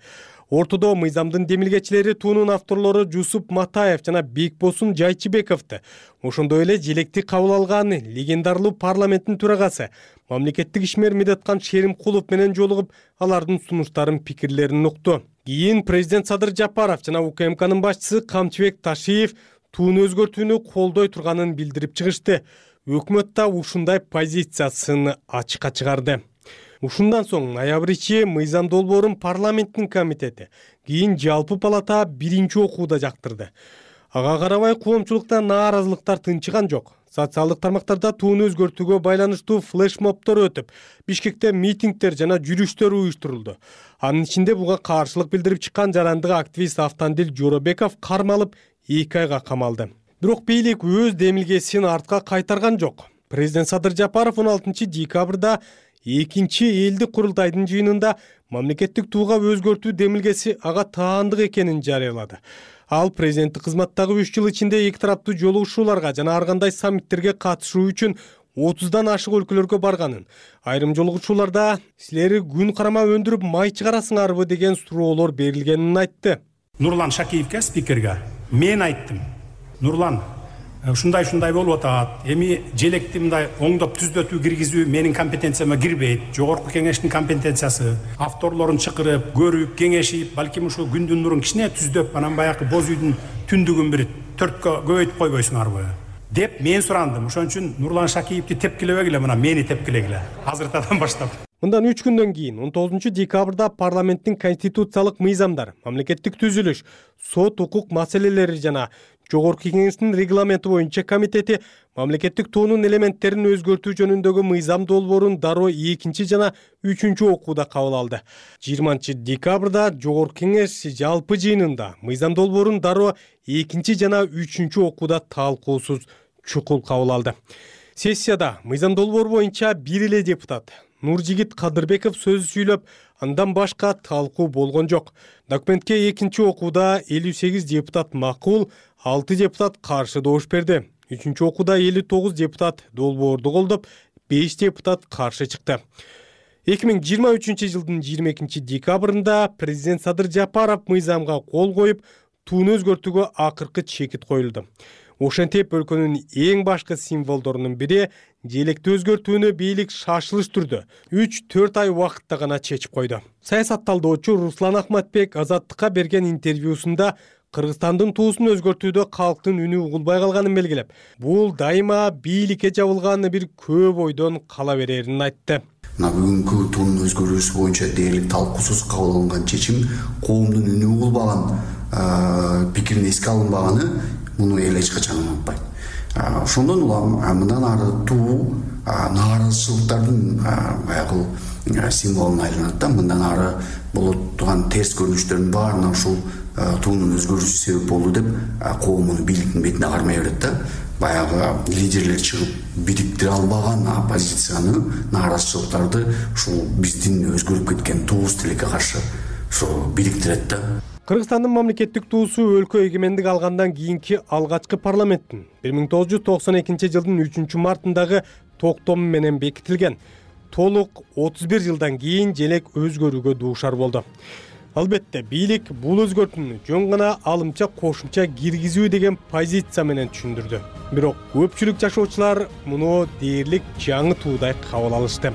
Ортодо мыйзамдын демилгечилери туунун авторлору Жусуп Матаев жана Бекбосун Жайчыбековду, ошондой эле желекти кабыл алган легендарлуу парламенттин төрагасы мамлекеттик ишмер Медеткан Шеримкулов менен жолугуп, алардын сунуштарын, пикирлерин укту. Кийин президент Садыр Жапаров жана УКМКнын башчысы Камчыбек Ташиев тууну өзгөртүүнү колдой турганын билдирип чыгышты. Өкмөт да ушундай позициясын ачыкка чыгарды. Ушундан соң ноябрь ичи мыйзам долбоорун парламенттин комитети, кийин жалпы палата биринчи окууда жактырды. Ага карабай коомчулукта нааразылыктар тынчыган жок. Социалдык тармактарда тууну өзгөртүүгө байланыштуу флешмобдор өтүп, Бишкекте митингдер жана жүрүштөр уюштурулду. Анын ичинде буга каршылык билдирип чыккан жарандык активист Автандил Жоробеков кармалып 2 айга камалды. Бирок бийлик өз демилгесин артка кайтарган жок. Президент Садыр Жапаров 16 декабрда экинчи элдик курултайдын жыйынында мамлекеттик тууга өзгөртүү демилгеси ага таандык экенин жарыялады. Ал президенттик кызматтагы 3 жыл ичинде эки тараптуу жолугушууларга жана ар кандай саммиттерге катышуу үчүн 30дан ашык өлкөлөргө барганын, айрым жолугушууларда силер күн карама өндүрүп май чыгарасыңарбы деген суроолор берилгенин айтты. Нурлан Шакиевке, спикерге мен айттым. Нурлан, ушундай болуп атат. Эми желекти мындай оңдоп түзөтүү киргизүү менин компетенцияма кирбейт. Жогорку кеңештин компетенциясы. Авторлорун чакырып, көрүп, кеңешип, балким ушу күндүн нурун кичине түздөп, анан баягы боз үйдүн түндүгүн бир 4кө көбөйтүп койбойсуңарбы деп мен сурандым. Ошон үчүн Нурлан Шакиевди тепкилебегиле, мына мени тепкилегиле. Азыртадан баштап. Мындан 3 күндөн кийин 19 декабрда парламенттин конституциялык мыйзамдар, мамлекеттик түзүлүш, сот укук маселелери жана Жогорку кеңештин регламенти боюнча комитети мамлекеттик туунун элементтерин өзгөртүү жөнүндөгү мыйзам долбоорун дароо 2 жана 3 окууда кабыл алды. 20 декабрда Жогорку кеңеш жалпы жыйынында мыйзам долбоорун дароо 2 жана 3 окууда талкуусуз чукул кабыл алды. Сессияда мыйзам долбоор боюнча бир эле депутат Нуржигит Кадырбеков сөз сүйлөп, андан башка талкуу болгон жок. Документке 2 окууда 58 депутат макул, 6 депутат каршы добуш берди. 3 окууда 59 депутат долбоорду колдоп, 5 депутат каршы чыкты. 2023 жылдын 22 декабрында президент Садыр Жапаров мыйзамга кол коюп, тууну өзгөртүүгө акыркы чекит коюлду. Ошентип өлкөнүн эң башкы символдорунун бири желекти өзгөртүүнү бийлик шашылыш түрдө 3-4 ай убакытта гана чечип койду. Саясатталдоочу Руслан Ахматбек Азаттыкка берген интервьюсунда Кыргызстандын туусун өзгөртүүдө калктын үнү угулбай калганын белгилеп, бул дайыма бийликке жабылган бир көп ойдон кала берерин айтты. Бүгүнкү туунун өзгөрүүсү боюнча дээрлик талкуусуз кабыл алынган чечим коомдун үнү угулбаган, пикирин эске алынбаганы муну эл эч качан унутпайт. Ошондон улам мындан ары туу нааразычылыктардын баягы символуна айланат да. Мындан ары боло турган терс көрүнүштөрдүн баарына ушул туунун өзгөрүүсү себеп болду деп коом муну бийликтин бетине кармай берет да. Баягы лидерлер чыгып бириктире албаган оппозицияны, нааразычылыктарды ушул биздин өзгөрүп кеткен туубуз тилекке каршы ошо бириктирет да. Кыргызстандын мамлекеттик туусу өлкө эгемендик алгандан кийинки алгачкы парламенттин 1992 жылдын 3 мартындагы токтому менен бекитилген. Толук 31 жылдан кийин желек өзгөрүүгө дуушар болду. Албетте бийлик бул өзгөртүүнү жөн гана алымча кошумча киргизүү деген позиция менен түшүндүрдү. Бирок көпчүлүк жашоочулар муну дээрлик жаңы туудай кабыл алышты.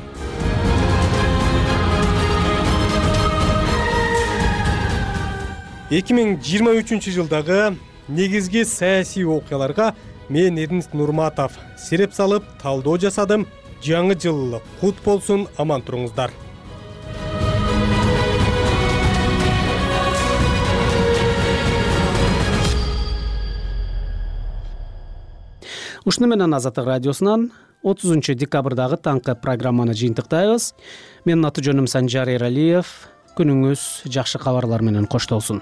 Эки миң 23 жылдагы негизги саясий окуяларга мен Эрнест Нурматов сереп салып талдоо жасадым. Жаңы жыл кут болсун, аман туруңуздар. Ушуну менен Азаттык радиосунан 30 декабрдагы таңкы программаны жыйынтыктайбыз. Менин аты жөнүм Санжар Эралиев. Күнүңүз жакшы кабарлар менен коштолсун.